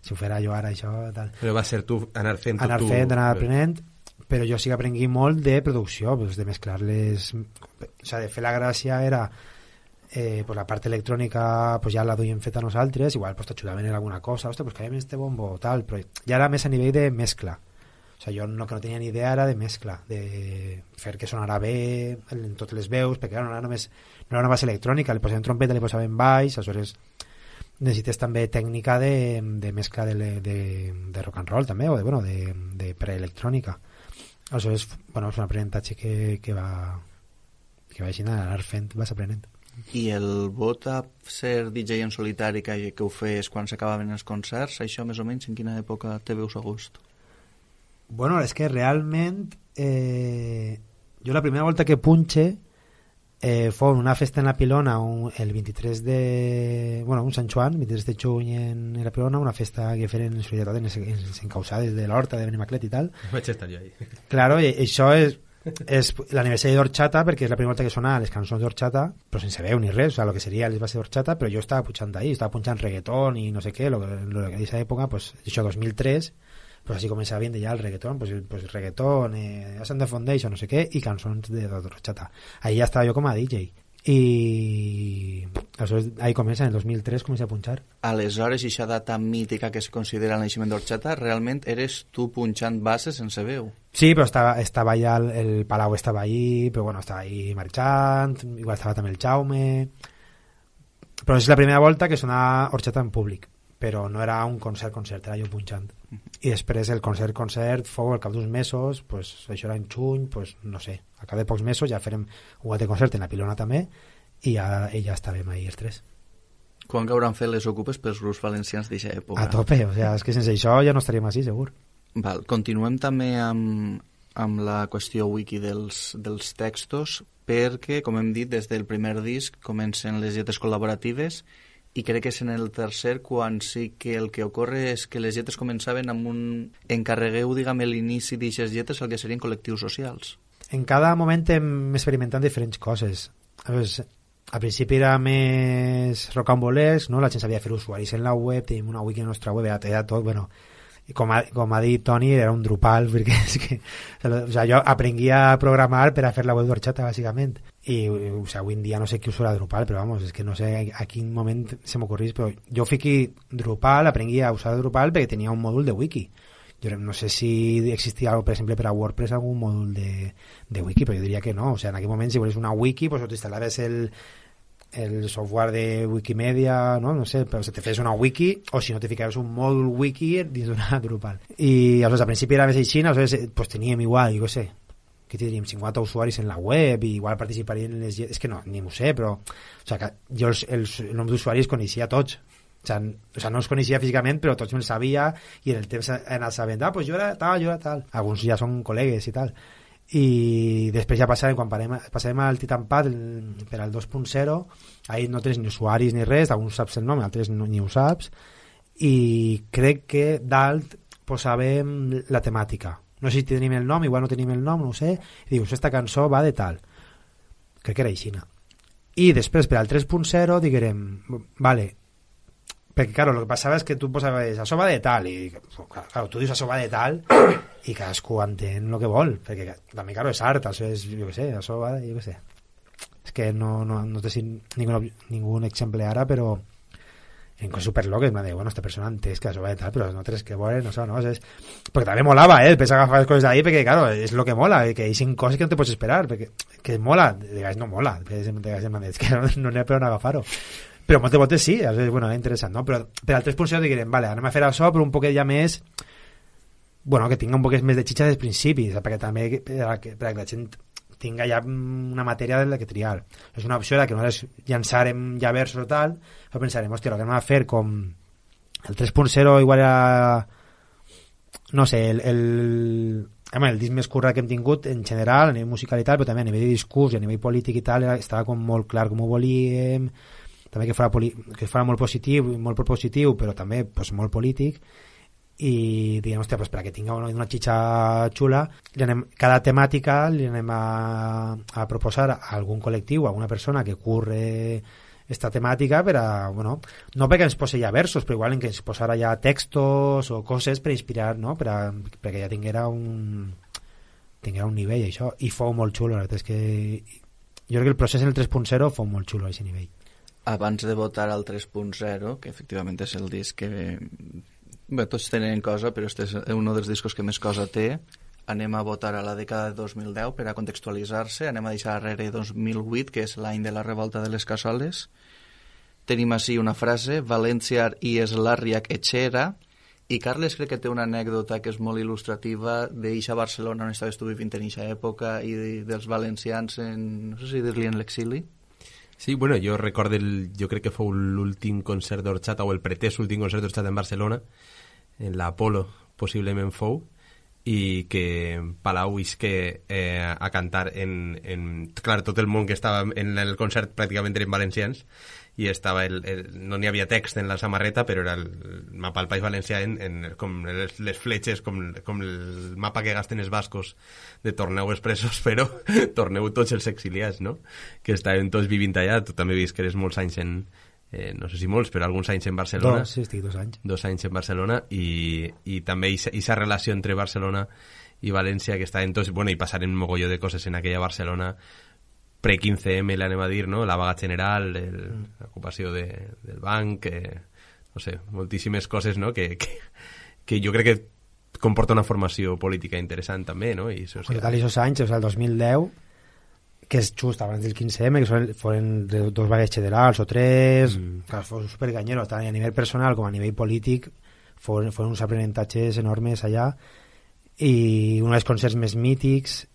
D: si ho fera jo ara això tal.
E: Però va ser tu anar fent
D: anar aprenent, però jo sí que aprengui molt de producció, pues, de mesclar les, o sea, de fer la gràcia era pues la part electrònica pues ja la duiem feta nosaltres, igual pues t'ajudaven en alguna cosa, ostres, pues caiem este bombo tal, però ja era més a nivell de mescla. O sigui, jo que no tenia ni idea era de mescla, de fer que sonara bé en totes les veus, perquè no era una base electrònica, li posaven trompeta, li posaven baix, aleshores necessites també tècnica de mescla de rock and roll també, o de preelectrònica. Aleshores, és un aprenentatge que va així anar fent, vas aprenent.
C: I el vot a ser DJ en solitari que ho fes quan s'acabaven els concerts, això més o menys en quina època te veus a gust?
D: És que realment jo la primera volta que punxe fou una festa en la Pilona el 23 de... un Sant Joan, 23 de juny en la Pilona, una festa que feren en solidaritat en les encausades de l'Horta de Benimaclet i tal.
E: Vaig estar jo ahí.
D: Claro, i això és l'aniversari d'Orxata, perquè és la primera volta que sona les cançons d'Orxata, però sense veu ni res, o sea, lo que seria les bases d'Orxata, però jo estava punxant ahí, estava punxant reggaetón i no sé què, lo que en aquesta època, això 2003, pues así comenzaba viendo ya el reggaetón, pues reggaetón, Ascend the Foundation, no sé qué, y canciones de Orxata. Ahí ya estaba yo como a DJ. I ahí comença, en el 2003 comença a punxar.
C: Aleshores, aquesta data mítica que es considera el naixement d'Orxata, realment eres tu punxant bases sense veu?
D: Sí, però estava allà, el Palau estava allí, però estava ahí marxant, igual estava també el Jaume... Però és la primera volta que sonava Orxata en públic, però no era un concert, era jo punxant. I després el concert fou al cap d'uns mesos, això era en juny, no sé, al cap de pocs mesos ja farem un altre concert en la Pilona també, i ja estàvem ahí els tres.
C: Quan que hauran fet les ocupes pels grups valencians d'aquesta època?
D: A tope, és que sense això ja no estaríem així, segur.
C: Val, continuem també amb la qüestió wiki dels textos, perquè, com hem dit, des del primer disc comencen les lletres col·laboratives, i crec que és en el tercer quan sí que el que ocorre és que les lletres començaven amb un... encarregueu, l'inici d'aquestes lletres al que serien col·lectius socials.
D: En cada moment hem experimentat diferents coses. Al principi era més rocambolesc, no? La gent sabia fer usuaris en la web, tenim una wiki en la nostra web, era tot, i com ha dit Toni, era un Drupal, perquè és que, jo aprenguia a programar per a fer la web d'Orxata, bàsicament. I avui en dia no sé qui usa Drupal, però és que no sé a quin moment se m'ocorrís, però jo fiqui Drupal, aprengui a usar Drupal perquè tenia un mòdul de wiki. Jo no sé si existia, per exemple, per a WordPress algun mòdul de wiki, però jo diria que no. En aquell moment, si volies una wiki, t'instal·laves el software de Wikimedia, no sé, però te fes una wiki, o si no te ficaves un mòdul wiki dins d'una Drupal. I al principi era més així, teníem igual, jo què sé, que tindríem 50 usuaris en la web i igual participarien en les... És que no, ni m'ho sé, però que jo el nom d'usuaris coneixia tots. No els coneixia físicament, però tots me'ls sabia i en el temps he anat sabent, jo era tal. Alguns ja són col·legues i tal. I després ja passàvem, quan passàvem al Titanpad per al 2.0, ahí no tens ni usuaris ni res, alguns saps el nom, altres ni ho saps, i crec que dalt posàvem la temàtica. No sé si tenim el nom, igual no tenim el nom, no ho sé, i dius, esta cançó va de tal. Crec que era aixina. I després, per al 3.0, diguem, vale, perquè, claro, el que passava és que tu posaves això va de tal, i claro, tu dius això va de tal, i cadascú entén el que vol, perquè també, claro, és art, això és, jo què sé, això va de, jo què sé. És que no té ningú exemple ara, però en coses superloques m'ha dit, esta persona entès que això va de tal, però no tens que veure, no sé, perquè també molava, després agafar les coses d'ahí, perquè, claro, és el que mola, que hi ha coses que no te pots esperar, perquè que mola, de vegades no mola, de vegades m'ha dit, que no n'hi ha per on agafar-ho. Però moltes voltes sí, és interessant, no? Però per al 3.0 diguem, vale, anem a fer això, però un poquet ja més bueno, que tinga un poc més de xitxa des principis, perquè també perquè la gent tinga ja una matèria de la que triar. És una opció que nosaltres llançarem ja versos o tal, però pensarem, hòstia, el que anem a fer com el 3.0 igual era, no sé, el disc més currat que hem tingut en general, a nivell musical i tal, però també a nivell de discurs i a nivell polític i tal, estava com molt clar com ho volíem, també que fora molt positiu, molt propositiu, però també pues, molt polític, i diguem, hòstia, pues, perquè tinga una xitxa xula, cada temàtica li anem a proposar a algun col·lectiu, a alguna persona que curre esta temàtica per a, bueno, no perquè ens posi ja versos, però igual en que ens posara ja textos o coses per inspirar, no? Perquè ja tinguera un nivell, això, i fou molt xulo, la veritat és que jo crec que el procés en el 3.0 fou molt xulo a aquest nivell.
C: Abans de votar al 3.0, que efectivament és el disc que... Bé, tots tenen cosa, però este és un dels discos que més cosa té. Anem a votar a la dècada de 2010 per a contextualitzar-se. Anem a deixar darrere 2008, que és l'any de la revolta de les cassoles. Tenim així una frase, València i Eslarriac etxera, i Carles crec que té una anècdota que és molt il·lustrativa d'eixa Barcelona on estaves tu vivint en eixa època i dels valencians no sé si dir-li en l'exili.
E: Sí, bueno, jo recordo, jo crec que fou l'últim concert d'Orxata o el pretès últim concert d'Orxata en Barcelona, en l'Apolo possiblement fou, i que Palau isque a cantar clar, tot el món que estava en el concert pràcticament eren valencians, i estava no n'hi havia text en la samarreta, però era el mapa del País Valencià com les fletxes, com el mapa que gasten els bascos de torneu expressos, però torneu tots els exiliats, no? Que estaven tots vivint allà. Tu també vist que eres molts anys no sé si molts, però alguns anys en Barcelona.
D: Sí, estic 2 anys.
E: 2 anys en Barcelona, i també aquesta relació entre Barcelona i València que estaven tots, bueno, i passaren un mogolló de coses en aquella Barcelona pre-15M, l'anem a dir, no? La vaga general, l'ocupació del banc, no sé, moltíssimes coses, no? Que jo crec que comporta una formació política interessant també, no? I social.
D: Total, aquests anys, o sigui, el 2010, que és just abans del 15M, que foren 2 vagues generals o 3, que fos superganyero, tant a nivell personal com a nivell polític, foren uns aprenentatges enormes allà, i un dels concerts més mítics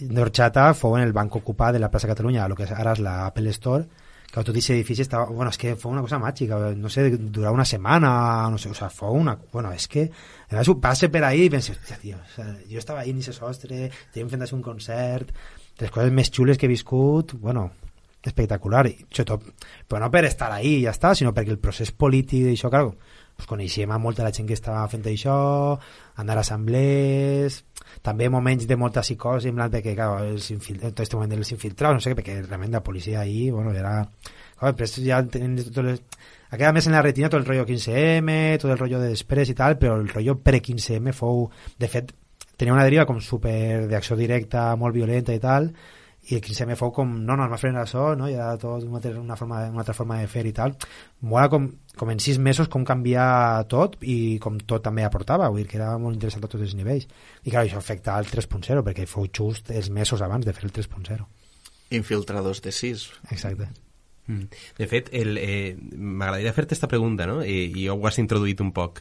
D: d'Orxata fou en el banc ocupat de la plaça Catalunya, el que ara és la Apple Store, que tot aquest edifici estava... Bueno, és que fou una cosa màgica, no sé, durava una setmana, no sé, o sea, fou una... Bueno, és que passe per ahí i penso, tio, o sea, jo estava ahí en ese sostre, estàvem fent un concert, les coses més xules que he viscut, bueno, espectacular, i sobretot, però no per estar ahí i ja està, sinó perquè el procés polític d'això, clar, pues coneixíem a molta la gent que estava fent això, anar a assemblees, també moments de molta psicosi, en plan que, clar, tot aquest moment dels infiltrados, no sé què, perquè realment la policia ahí, bueno, era... Clar, després ja tenen tot les... Ha quedat més en la retina tot el rotllo 15M, tot el rotllo de després i tal, però el rotllo pre-15M fou... De fet, tenia una deriva com super d'acció directa, molt violenta i tal, i el 15M fou com, no, es va frenar això, no? I era tot una altra forma de fer i tal. Mola com en 6 mesos com canvia tot i com tot també aportava, vull dir que era molt interessant a tots els nivells. I clar, això afecta al 3.0 perquè fou just els mesos abans de fer el 3.0.
C: Infiltradors de 6.
D: Exacte.
E: De fet, m'agradaria fer-te aquesta pregunta, no? I ho has introduït un poc.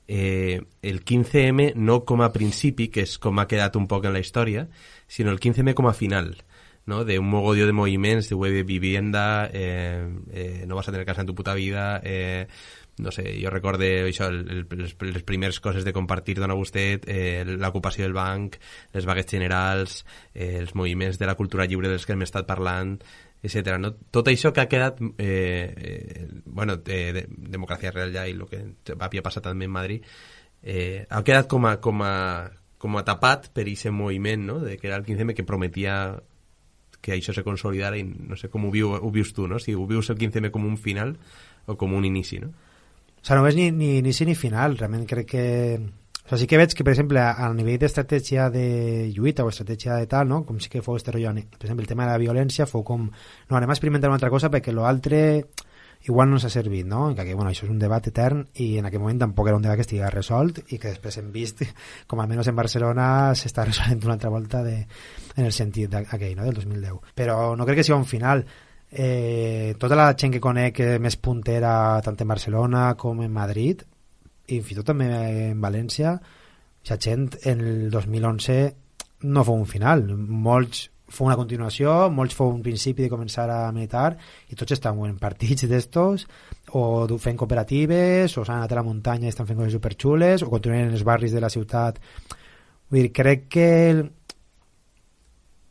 E: El 15M no com a principi, que és com ha quedat un poc en la història, sinó el 15M com a final, ¿no? De un mogolló de moviments, de web de vivienda, no vas a tener casa en tu puta vida, no sé, jo recordo això, les primeres coses de compartir dona vostè, l'ocupació del banc, les vagues generals, els moviments de la cultura lliure dels que hem estat parlant, etc. No? Tot això que ha quedat bueno, democràcia real ja i el que havia passat també en Madrid, ha quedat com a tapat per aquest moviment, no? De que era el 15M que prometia que això se consolidara, i no sé com ho vius tu, no? Si ho vius el 15M com un final o com un inici, no?
D: O sigui, no és ni inici ni final, realment crec que... O sigui, sí que veig que, per exemple, a nivell d'estratègia de lluita o estratègia de tal, no? Com sí que fou este rotllo, per exemple, el tema de la violència fou com... No, anem a experimentar una altra cosa perquè l'altre igual no ens ha servit, no? Que, bueno, això és un debat etern i en aquell moment tampoc era un debat que estigui resolt i que després hem vist com almenys en Barcelona s'està resolent una altra volta en el sentit aquell, no? Del 2010. Però no crec que sigui un final. Tota la gent que conec més puntera tant en Barcelona com en Madrid i fins i tot també en València, Aquesta gent en el 2011 no fou un final, molts fou una continuació, molts fou un principi de començar a militar i tots estan en partits d'estos o fent cooperatives o s'han anat a la muntanya i estan fent coses superxules o continuen en els barris de la ciutat. Vull dir, crec que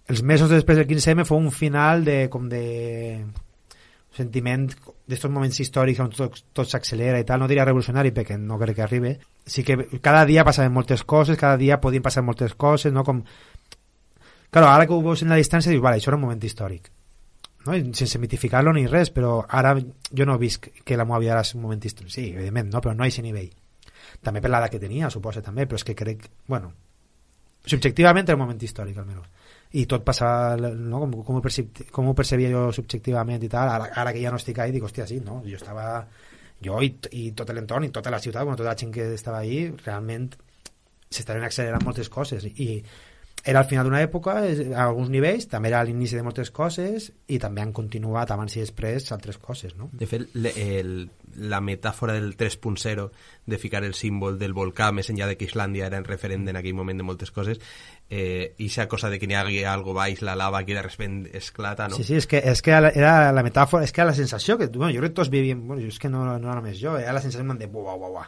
D: els mesos després del 15M fou un final de sentiment d'estos moments històrics on tot s'accelera i tal, no diria revolucionari perquè no crec que arribi, sí que cada dia passaven moltes coses, cada dia podien passar moltes coses, no? Com... Claro, ara que ho veus en la distància dius, vale, això era un moment històric, no? I sense mitificar-lo ni res, però ara jo no he vist que la meva vida és un moment històric, sí, evidentment, no? Però no a aquest nivell, també per l'edat que tenia, suposa també, però és que crec, bueno, subjectivament era un moment històric almenys, i tot passa, no? Com ho percebia jo subjectivament i tal, ara que ja no estic ahí dic, hòstia, sí, no? Jo i tot l'entorn i tota la ciutat, bueno, tota la gent que estava ahí realment s'estaven accelerant moltes coses i era al final d'una època a alguns nivells, també era a l'inici de moltes coses i també han continuat abans i després altres coses, no?
E: De fet, la metàfora del 3.0 de ficar el símbol del volcà més enllà de que Islàndia era en referent en aquell moment de moltes coses, i esa cosa de que n'hi hagi algo baix, la lava que de repente esclata, no?
D: Sí, és que era la metàfora, és que era la sensació que, bueno, jo crec que tots vivien, bueno, és que no només jo, era la sensació de buah.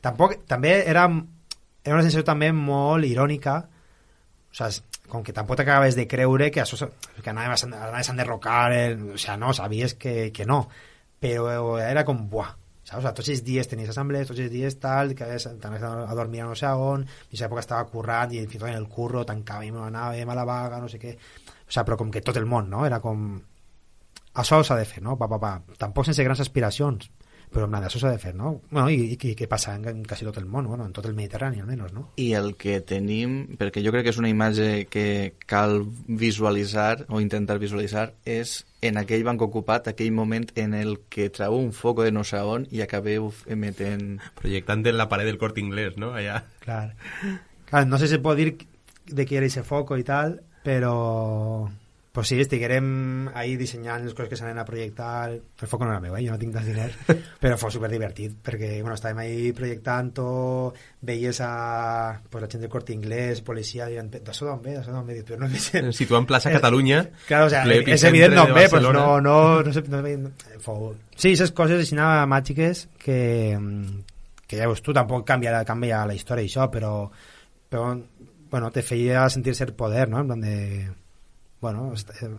D: També era una sensació també molt irònica, o sea, com que tampoc t'acabes de creure que anaves a enderrocar, o sea, no, sabies que no, però era com, buah, saps? O sea, tots els dies tenies assemblees, tots els dies tal, que t'anaves a dormir a no sé on, en aquesta època estava currant i fins i tot en el curro tancàvem, anàvem a la vaga, no sé què, o sea, però com que tot el món, no? Era com, això s'ha de fer, no? Tampoc sense grans aspiracions, però en això s'ha de fer, no? Bueno, i què passa en quasi tot el món, bueno, en tot el Mediterrani almenys, no?
C: I el que tenim, perquè jo crec que és una imatge que cal visualitzar o intentar visualitzar, és en aquell banc ocupat, aquell moment en el que trau un foco de no sé on i acabeu emetent...
E: Projectant en la paret del Corte Inglés, no? Allà.
D: Clar, no sé si pot dir de qui era ese foco i tal, però... Pues sí, estiguérem ahí dissenyant les coses que s'anaven a projectar. El foc no era meu, jo no tinc tants diners, però fou superdivertit, perquè bueno, estàvem ahí projectant-ho, veies a la gent del Corte Inglés, policia, dient, d'això d'on ve, però no sé...
E: Situat en plaça Catalunya,
D: claro, o sea, és evident d'on ve, pues no sé... Fou... Sí, aquestes coses així màgiques que ja veus tu, tampoc canvia la història i això, però bueno, te feia sentir cert poder, no? En plan de... bueno,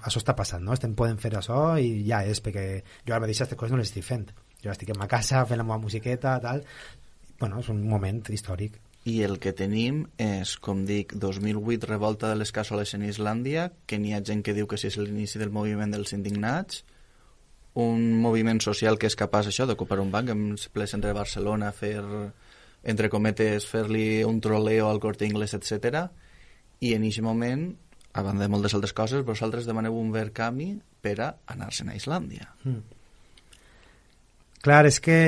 D: això està passant, no? Estem podent fer això i ja és, perquè jo ara mateix aquestes coses no les estic fent. Jo estic en ma casa fent la meva musiqueta, tal. Bueno, és un moment històric.
C: I el que tenim és, com dic, 2008, revolta de les cassoles en Islàndia, que n'hi ha gent que diu que si és l'inici del moviment dels indignats, un moviment social que és capaç això d'ocupar un banc en ple centre de Barcelona, fer, entre cometes, fer-li un troleo al Corte Inglés, etc. I en aquest moment... a banda de moltes altres coses, vosaltres demaneu un verd camí per a anar-se'n a Islàndia.
D: Clar, és que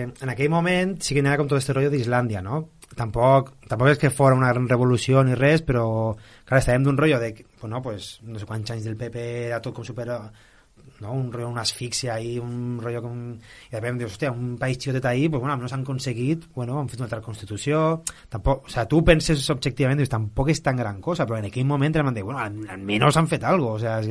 D: en aquell moment sí que n'hi ha com tot este rotllo d'Islàndia, no? Tampoc és que fora una gran revolució ni res, però clar, estàvem d'un rotllo de, bueno, pues, no sé quants anys del PP era tot com super... no? Un rotllo, una asfíxia ahí, un rotllo com... I després dius, hòstia, un país xicotet ahí, pues bueno, no s'han aconseguit, bueno, han fet una altra Constitució, tampoc, o sea, tu penses objectivament, dius, tampoc és tan gran cosa, però en aquell moment em van dir, bueno, almenys han fet algo, o sea,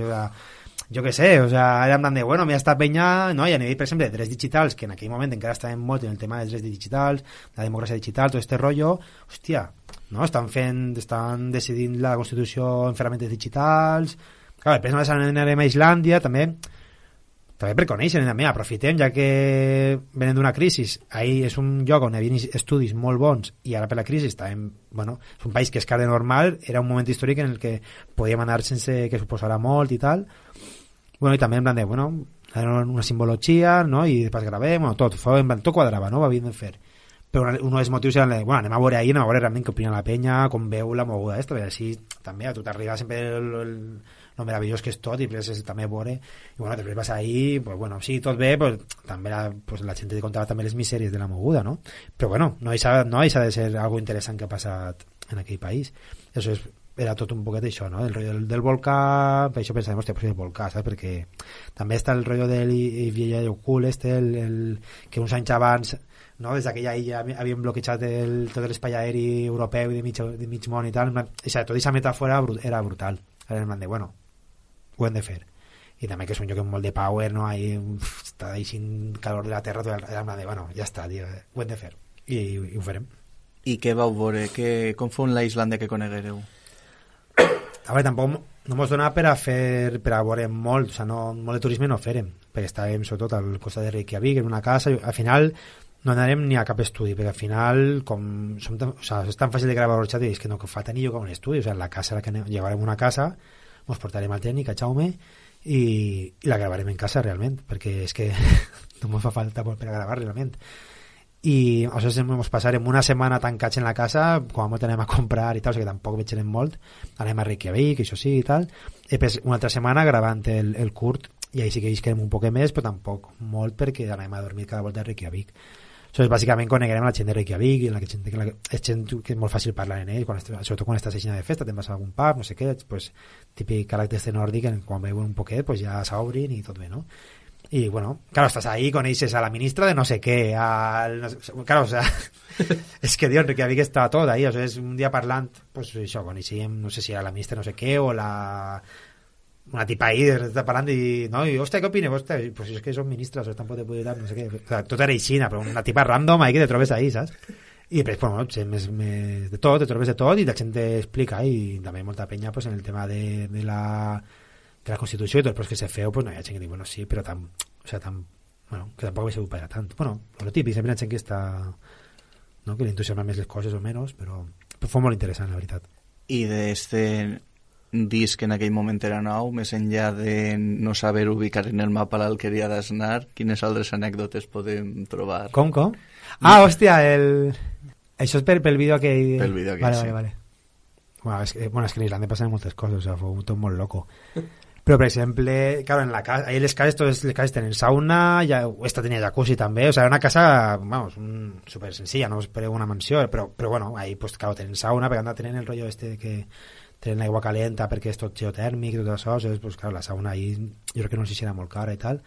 D: jo què sé, o sea, era en plan de, bueno, mira esta penya, no? I a nivell, per exemple, de drets digitals, que en aquell moment encara estaven molt en el tema dels drets digitals, la democràcia digital, tot este rotllo, hòstia, no? Estan decidint la Constitució en ferramentes digitals, clar, després anem a Islàndia, també per conèixer, també aprofitem, ja que venen d'una crisi, ahí és un lloc on hi havia estudis molt bons i ara per la crisi estàvem, bueno, és un país que és car de normal, era un moment històric en el que podíem anar sense que suposara molt i tal, bueno, i també en plan de, bueno, era una simbologia, no? I després gravem, bueno, tot quadrava, no? Va bien fer. Però un dels motius era, bueno, anem a veure ahir, anem a veure realment què opina la penya, com veu la moguda esta, així també a tu t'arriba sempre lo meravellós que és tot i després també veure, i bueno, després vas ahir, pues bueno, sí, tot bé, pues també la gent te contava també les misèries de la moguda, no? Però bueno, no deixa de ser algo interessant que ha passat en aquell país. Això és era tot un poquet això, no? El rotllo del volcà, per això pensàvem, hòstia, pues el volcà, saps? Perquè també està el rotllo del Vieja Cool, que uns anys abans, no? Des d'aquella illa havien bloquejat tot l'espai aeri europeu i de mig món i tal, o sigui, tota aquesta metàfora era brutal. Era en plan de, bueno, ho hem de fer. I també que és un lloc amb molt de power, no? Ahí està deixant calor de la terra, era en plan de, bueno, ja està, tio, ho hem de fer. I ho farem.
C: I què vau veure? Com fou la Islàndia que coneguereu?
D: A veure, tampoc no mos dona per a veure molt, o sigui, molt de turisme no farem, perquè estàvem sobretot al costat de Reykjavik, en una casa, al final no anarem ni a cap estudi, perquè al final, com és tan fàcil de gravar el xat, és que no fa tenir lloc a un estudi, o sigui, la casa, llevarem una casa, mos portarem al tècnic, a Jaume, i la gravarem en casa realment, perquè és que no mos fa falta per a gravar realment. I aleshores ens passarem una setmana tancats en la casa, com a molt anem a comprar i tal, o sigui que tampoc veig molt, anem a Reykjavik, això sí i tal, i després una altra setmana gravant el curt, i ahí sí que visquem un poc més, però tampoc molt, perquè anem a dormir cada volta a Reykjavik. Aleshores, bàsicament coneguerem la gent de Reykjavik, i és gent que és molt fàcil parlar en ell, sobretot quan estàs aixina de festa, te'n vas a algun pub, no sé què, pues, típic caràcter nòrdic, quan veuen un poquet pues ja s'obrin i tot bé, no? Y bueno, claro, estás ahí, conoces a la ministra de no sé qué, claro, o sea, es que Dios, Reykjavik estaba todo ahí, o sea, es un día parlant, pues això, coneixíem, no sé si era la ministra de no sé qué, o una tipa ahí, està parlant i, no, i, hòstia, què opines? Hòstia, pues és que són ministres, o tampoc te puc dir, no sé què, o sea, tot era aixina, però una tipa random ahí que te trobes ahí, saps? I després, bueno, de tot, te trobes de tot, i la gent t'explica, i també molta penya, pues, en el tema de la Constitució i tot, però és que se feu, pues no hi ha gent que diu, bueno, sí, però bueno, que tampoc havia sigut per a tant. Bueno, lo típic, sempre hi ha gent que està, no?, que li entusiasma més les coses o menys, però fou molt interessant, la veritat.
C: I d'este disc en aquell moment era nou, més enllà de no saber ubicar en el mapa l'Alqueria d'Asnar, quines altres anècdotes podem trobar?
D: Com? Ah, hòstia, això és pel vídeo aquell...
C: Pel vídeo aquell,
D: vale. Bueno, és que en Islàndia passen moltes coses, o sea, fou tot molt loco. Però, per exemple, claro, en la casa, ahí les cases tenen sauna, esta tenia jacuzzi també, o sea, era una casa, vamos, súper sencilla, no espereu una mansió, però bueno, ahí, pues, claro, tenen sauna, perquè anda tenen el rollo este que tenen aigua calenta perquè és tot geotèrmic i tot això, pues, claro, la sauna ahí, jo crec que no sé si era molt cara i tal,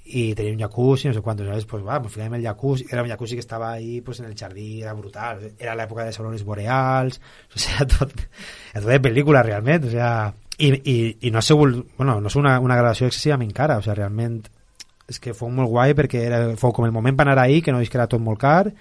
D: i tenia un jacuzzi, no sé quantos, ¿sabes? Pues va, pues fíjame el jacuzzi, era un jacuzzi que estaba ahí pues en el jardí, era brutal, era la época de les aurores boreals, o sea, tot de pel·lícula realment, o sea, i no ha sigut, bueno, no és una gravació excessivament cara, o sea, realment és que fou molt guai perquè fou com el moment per anar ahí, que no és que era tot molt car,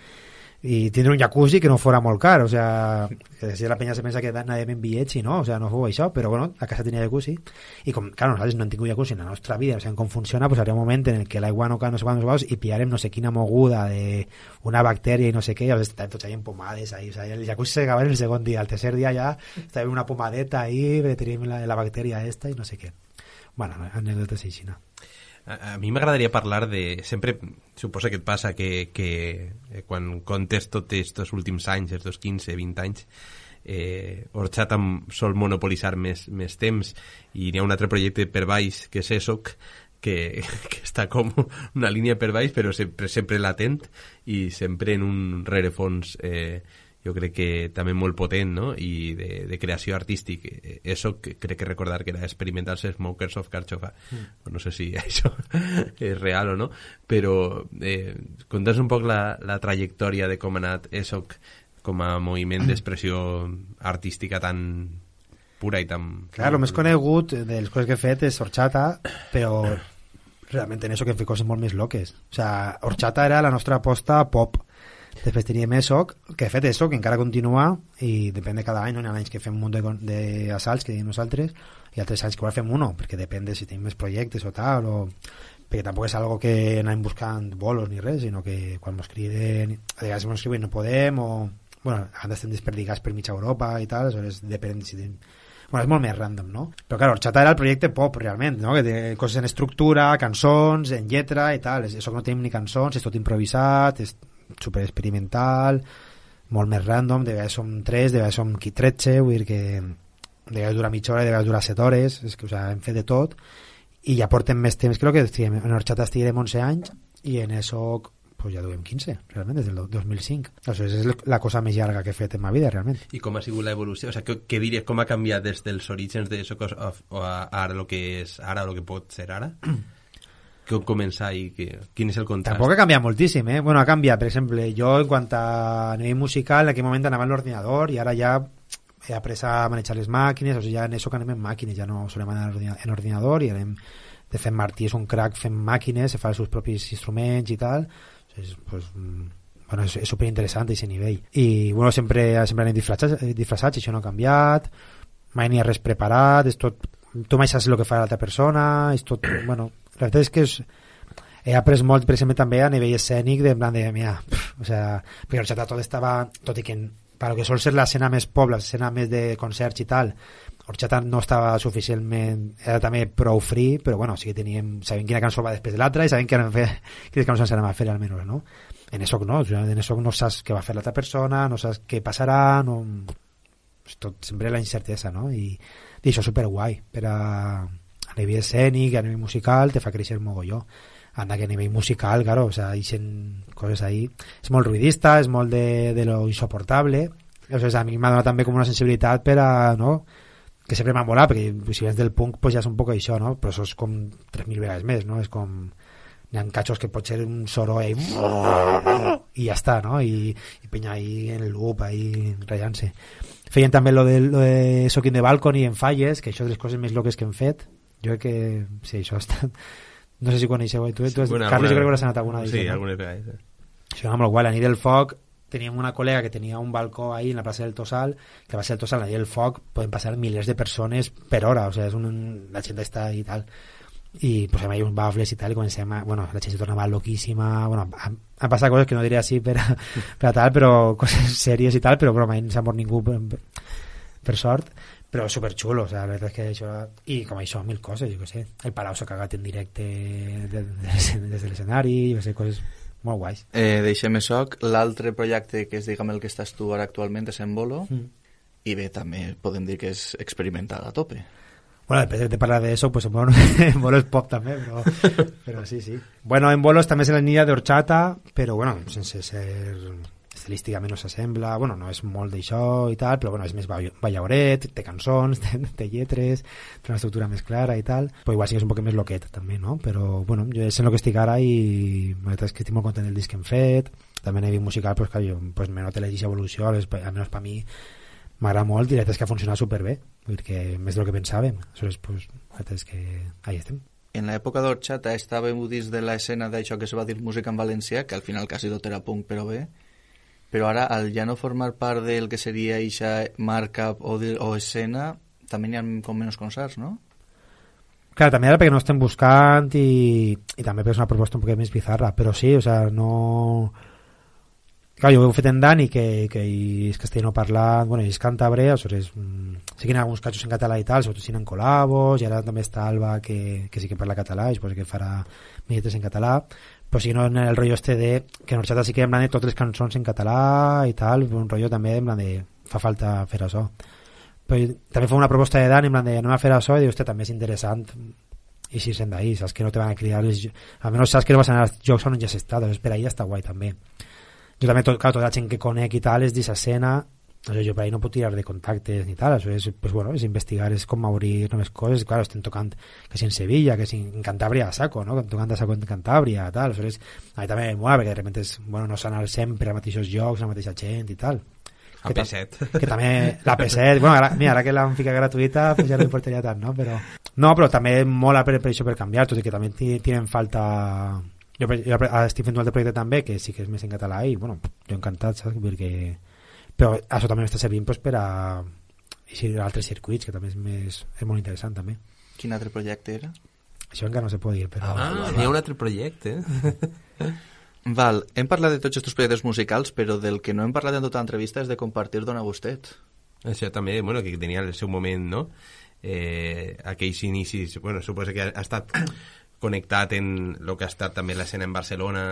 D: i tindre un jacuzzi que no fora molt car, o sea, que si la penya se pensa que anàvem en bitllets i no, o sea, no fou això, però bueno, la casa tenia jacuzzi, i com, claro, nosaltres no hem tingut jacuzzi en la nostra vida, no sabem com funciona, pues hi hauria un moment en el que l'aigua no sé quants i pillarem no sé quina moguda de una bactèria i no sé què, o sigui, estàvem tots ahí en pomades, ahí, o sea, el jacuzzi s'acabava el segon dia, el tercer dia ja estàvem una pomadeta ahí, teníem la bactèria esta i no sé què. Bueno, anècdotes així, no?
E: A mi m'agradaria parlar de... Sempre suposa que et passa que quan contes tots estos últims anys, estos 15-20 anys, Orxat sol monopolitzar més temps i hi ha un altre projecte per baix que és ESOC que està com una línia per baix però sempre latent i sempre en un rerefons jo crec que també molt potent, no? I de creació artístic. Eso crec que recordar que era Experimental Smokers of Carchofa. No sé si això és real o no, però conta'ns un poc la trajectòria de com ha anat ESOC com a moviment d'expressió artística tan pura i tan...
D: Clar, el més conegut de les coses que he fet és Orxata, però realment en eso que hem fet coses molt més loques. O sea, Orxata era la nostra aposta pop. Després teníem ESOC, que de fet ESOC encara continua i depèn de cada any, no? Hi ha anys que fem un munt d'assalts que diem nosaltres i altres anys que igual fem uno, perquè depèn de si tenim més projectes o tal, o perquè tampoc és algo que anem buscant bolos ni res, sinó que quan ens criden, a vegades ens escriuen no podem, o bueno, ara estem desperdigats per mitja Europa i tal, aleshores depèn si tenim... Bueno, és molt més random, no? Però clar, Orxata era el projecte pop, realment, no? Que té coses en estructura, cançons, en lletra i tal, això que no tenim ni cançons, és tot improvisat, és super experimental, molt més random, de vegades som 3, de vegades som 13, vull dir que de vegades dura mitja hora, de vegades dura 7 hores, és que, o sigui, hem fet de tot, i ja portem més temps, crec que en Orxata estiguem 11 anys, i en ESOC pues ja duem 15, realment, des del 2005. Aleshores, és la cosa més llarga que he fet en ma vida, realment.
E: I com ha sigut l'evolució? O sigui, què diries, com ha canviat des dels orígens de Socos a ara el que és ara, o el que pot ser ara? Com començar i quin és el contrast?
D: Tampoc ha canviat moltíssim, eh? Bueno, ha canviat, per exemple, jo en quant a nivell musical, en aquell moment anava en l'ordinador i ara ja he après a manejar les màquines, o sigui, ja en això que anem en màquines, ja no solem anar en ordinador i anem, de fet Martí és un crack fent màquines, se fa els seus propis instruments i tal, pues, bueno, és superinteressant aquest nivell. I bueno, sempre anem disfressats, això no ha canviat, mai n'hi ha res preparat, és tot, tu mai saps el que fa l'altra persona, és tot, bueno, la veritat és que he après molt, per exemple, també a nivell escènic, de plan de, mira, o sea, perquè Horchata tot estava, tot i que per lo que sol ser l'escena més pobla, l'escena més de concerts i tal, Horchata no estava suficientment, era també prou free, però bueno, sí que sabem quina cançó va després de l'altra i sabem quines cançons s'anem a fer almenys, no? En ESOC no, en ESOC no saps què va fer l'altra persona, no saps què passarà, no, és tot sempre la incertesa, no? I això és superguai, per a nivell escènic, a nivell musical, te fa créixer mogolló. Anda que a nivell musical, claro, o sea, hi sent coses ahí. És molt ruidista, és molt de lo insoportable. O sea, a mi m'ha donat també com una sensibilitat per a, no?, que sempre m'ha molat, perquè si vens del punk pues ja és un poc això, no? Però això és com 3.000 vegades més, no? És com... Hi ha catxos que pot ser un soroll i ja està, no? I penya ahí en el loop, ahí ratllant-se. Feien també lo de Sock in the Balcony en Falles, que això és les coses més loques que hem fet. Jo crec que... Sí, això ha estat... No sé si coneixeu. Tu bueno, Carles, jo crec que hauràs anat alguna
E: vegada. Sí,
D: no?
E: algunes vegades.
D: Això era molt guai. La nit del foc teníem una col·lega que tenia un balcó ahí en la plaça del Tossal, que va ser el Tossal, la nit del foc poden passar milers de persones per hora, o sea, la gent està i tal, i posem ahí uns bafles i tal, i comencem a... Bueno, la gent se tornava loquíssima, bueno, han passat coses que no diré així per a tal, però coses sèries i tal, però mai no s'ha mort ningú per sort, però superxulo, o sea, la veritat és que això... I com això, mil coses, jo què sé, el Palau s'ha cagat en directe des de l'escenari, jo què sé, coses molt guais.
C: Deixem ESOC. L'altre projecte que és, diguem, el que estàs tu ara actualment és en Bolo, i bé, també podem dir que és experimental a tope.
D: Bueno, després de parlar d'això, pues en Bolo és pop també, però sí. Bueno, en Bolo també és la línia d'Horchata, però bueno, sense ser... estilísticament no s'assembla, bueno, no és molt d'això i tal, però bueno, és més ballauret, té cançons, té lletres, té una estructura més clara i tal, però igual sí que és un poc més loquet també, no? Però bueno, jo és en el que estic ara i la veritat és que estic molt content del disc que hem fet, també a nivell musical, pues, que jo me noto l'eixa evolució, almenys per mi m'agrada molt i la veritat és que ha funcionat superbé, perquè més del que pensàvem, aleshores, pues, la veritat és que ahí estem.
C: En l'època d'Horchata estàvem dins de l'escena d'això que se va dir música en valencià, que al final quasi tot era punk, però bé, però ara, al ja no formar part del que seria eixa marca o escena, també n'hi ha com menys concerts, no?
D: Clar, també ara perquè no estem buscant i també perquè és una proposta un poc més bizarra, però sí, o sea, no... Clar, jo ho he fet en Dani, que és castellano parlant, bueno, i és càntabre, aleshores sí que hi ha alguns catxos en català i tal, sobretot si n'hi ha col·labos, i ara també està Alba, que sí que parla català, i suposo que farà minuts en català, però sí que no en el rotllo este de que en Horchata sí que en plan de totes les cançons en català i tal, un rotllo també en plan de fa falta fer això, però també fa una proposta de Dan en plan de anem a fer això i dius, també és interessant i si sent d'ahí, saps que no te van a cridar almenys saps que no vas anar als jocs on ja has estat, doncs per ahí ja està guai també. Jo també, clar, tota la gent que conec i tal és d'aquesta escena, jo per ahí no puc tirar de contactes ni tal, això és, pues, bueno, és investigar, és com obrir noves coses, clar, estem tocant que si en Sevilla, que si en Cantàbria a saco, no? Tocant a saco en Cantàbria, tal, això és, a mi també mola, perquè de repente és, bueno, no s'anar sempre als mateixos llocs, a la mateixa gent i tal.
E: A P7.
D: Que també, la P7, bueno, ara que l'han ficat gratuïta, pues ja no importaria tant, no? Però també mola per això per canviar, tot i que també tienen falta... Jo estic fent un altre projecte també, que sí que és més en català i, bueno, jo encantat, saps? Perquè... Però això també m'està servint pues, per a altres circuits, que també és molt interessant també.
C: Quin altre projecte era?
D: Això encara no se pot dir, però...
E: N'hi ha un altre projecte.
C: Val, hem parlat de tots aquests projectes musicals, però del que no hem parlat en tota l'entrevista és de compartir Dona Gustet.
E: Això també, bueno, que tenia el seu moment, no? Aquells inicis, bueno, suposo que ha estat connectat en el que ha estat també l'escena en Barcelona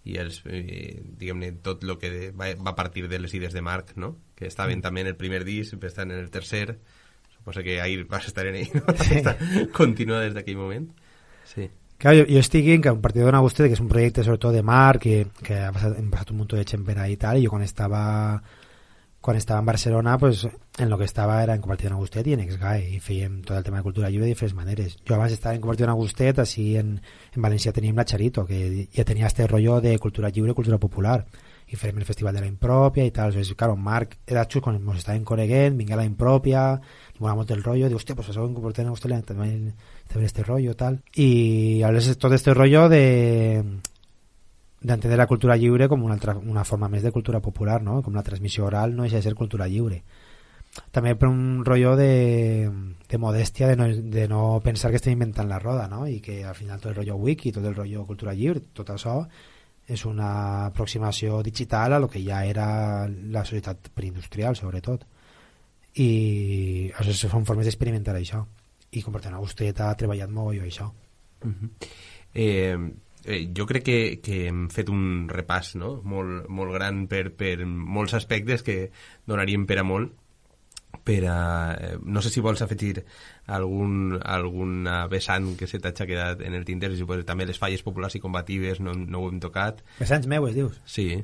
E: i diguem-ne tot el que va partir de les idees de Marc, no? Que estaven també en el primer disc, estan en el tercer, suposo que ahir vas estar en ell, no? Sí. Continua des d'aquell moment. Sí.
D: Claro, jo estic en que un partido Don Agustet, que és un projecte sobretot de Marc, que hem passat un munt de gent per ahí i tal, i jo quan estava en Barcelona, pues, en lo que estava era en Compartido Don Agustet i en Exgae, i fèiem tot el tema de cultura lliure de diferents maneres. Jo abans estava en Compartido Don Agustet, així en València teníem la Charito, que ja tenia este rollo de cultura lliure, cultura popular, i fèiem el Festival de la Impropia i tal. Entonces, claro, Marc era xus quan ens estàvem coneguent, vingué a la Impropia, li mola molt el rollo, diu, hòstia, pues això en Compartido Don Agustet també este rollo, tal. I a veces tot este rollo d'entendre la cultura lliure com una forma més de cultura popular, no? Com la transmissió oral no deixa de ser cultura lliure. També per un rotllo de modèstia, de no pensar que estem inventant la roda, no? I que al final tot el rotllo wiki, tot el rotllo cultura lliure, tot això és una aproximació digital a lo que ja era la societat preindustrial, sobretot. I això són formes d'experimentar això. I Compartido Don Agustet ha treballat molt això.
E: Jo crec que hem fet un repàs, no? molt gran per molts aspectes que donarien per a molt. No sé si vols afegir alguna vessant que se t'ha quedat en el tinter, també les falles populars i combatives no ho hem tocat.
D: Vessants meues, dius?
E: Sí.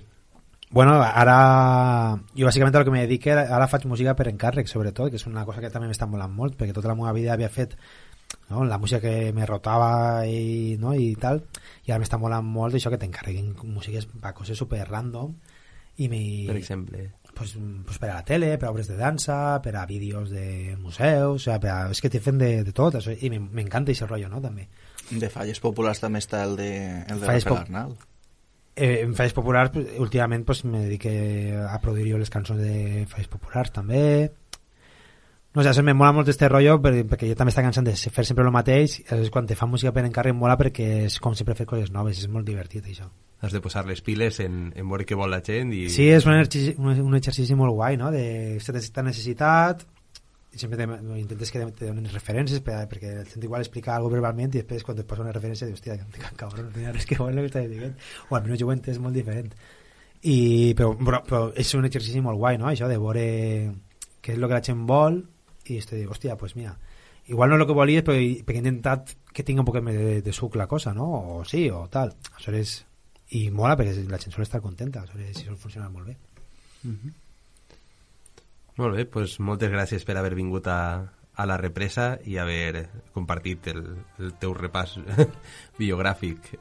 D: Bueno, ara jo bàsicament el que me dedico ara faig música per encàrrec, sobretot, que és una cosa que també m'està molant molt, perquè tota la meva vida havia fet, no, la música que me rotava i tal, i ara m'està molant molt això que t'encarreguin músiques per coses super random per
E: exemple
D: pues per a la tele, per a obres de dansa, per a vídeos de museus, o sea, és que t'he fet de tot això, i m'encanta aquest rotllo, no, també.
C: De falles populars també està el de la Pedernal.
D: En falles populars, últimament me dedique a produir jo les cançons de falles populars també. No sé, me mola molt este rotllo perquè jo també està cansant de fer sempre el mateix, i quan te fa música per encàrrec mola perquè és com sempre fer coses noves, és molt divertit això.
E: Has de posar les piles en veure què vol la gent i...
D: Sí, és un exercici molt guai, no? De aquesta necessitat, i sempre intentes que te donin referències perquè el sent igual explicar alguna verbalment i després quan et posa una referència dius, hòstia, cabrón, no tenia res que veure el que estàs dient, o almenys jo ho he entès molt diferent. Però és un exercici molt guai, no? Això de veure què és el que la gent vol i dius, hòstia, pues mira, igual no és el que volies perquè he intentat que tingui un poc més de suc la cosa, no? O sí, o tal. Això és... I mola perquè la gent sol estar contenta, si sol funcionar molt bé.
E: Molt bé, doncs moltes gràcies per haver vingut a la represa i haver compartit el teu repàs biogràfic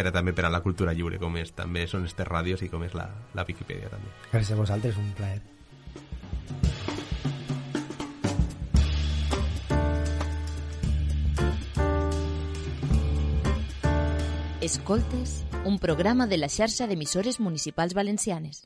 E: també per a la cultura lliure, com és també són estes ràdios i com és la Viquipèdia també.
D: Gràcies a vosaltres, un plaer.
G: Escoltes, un programa de la xarxa d'emissores municipals valencianes.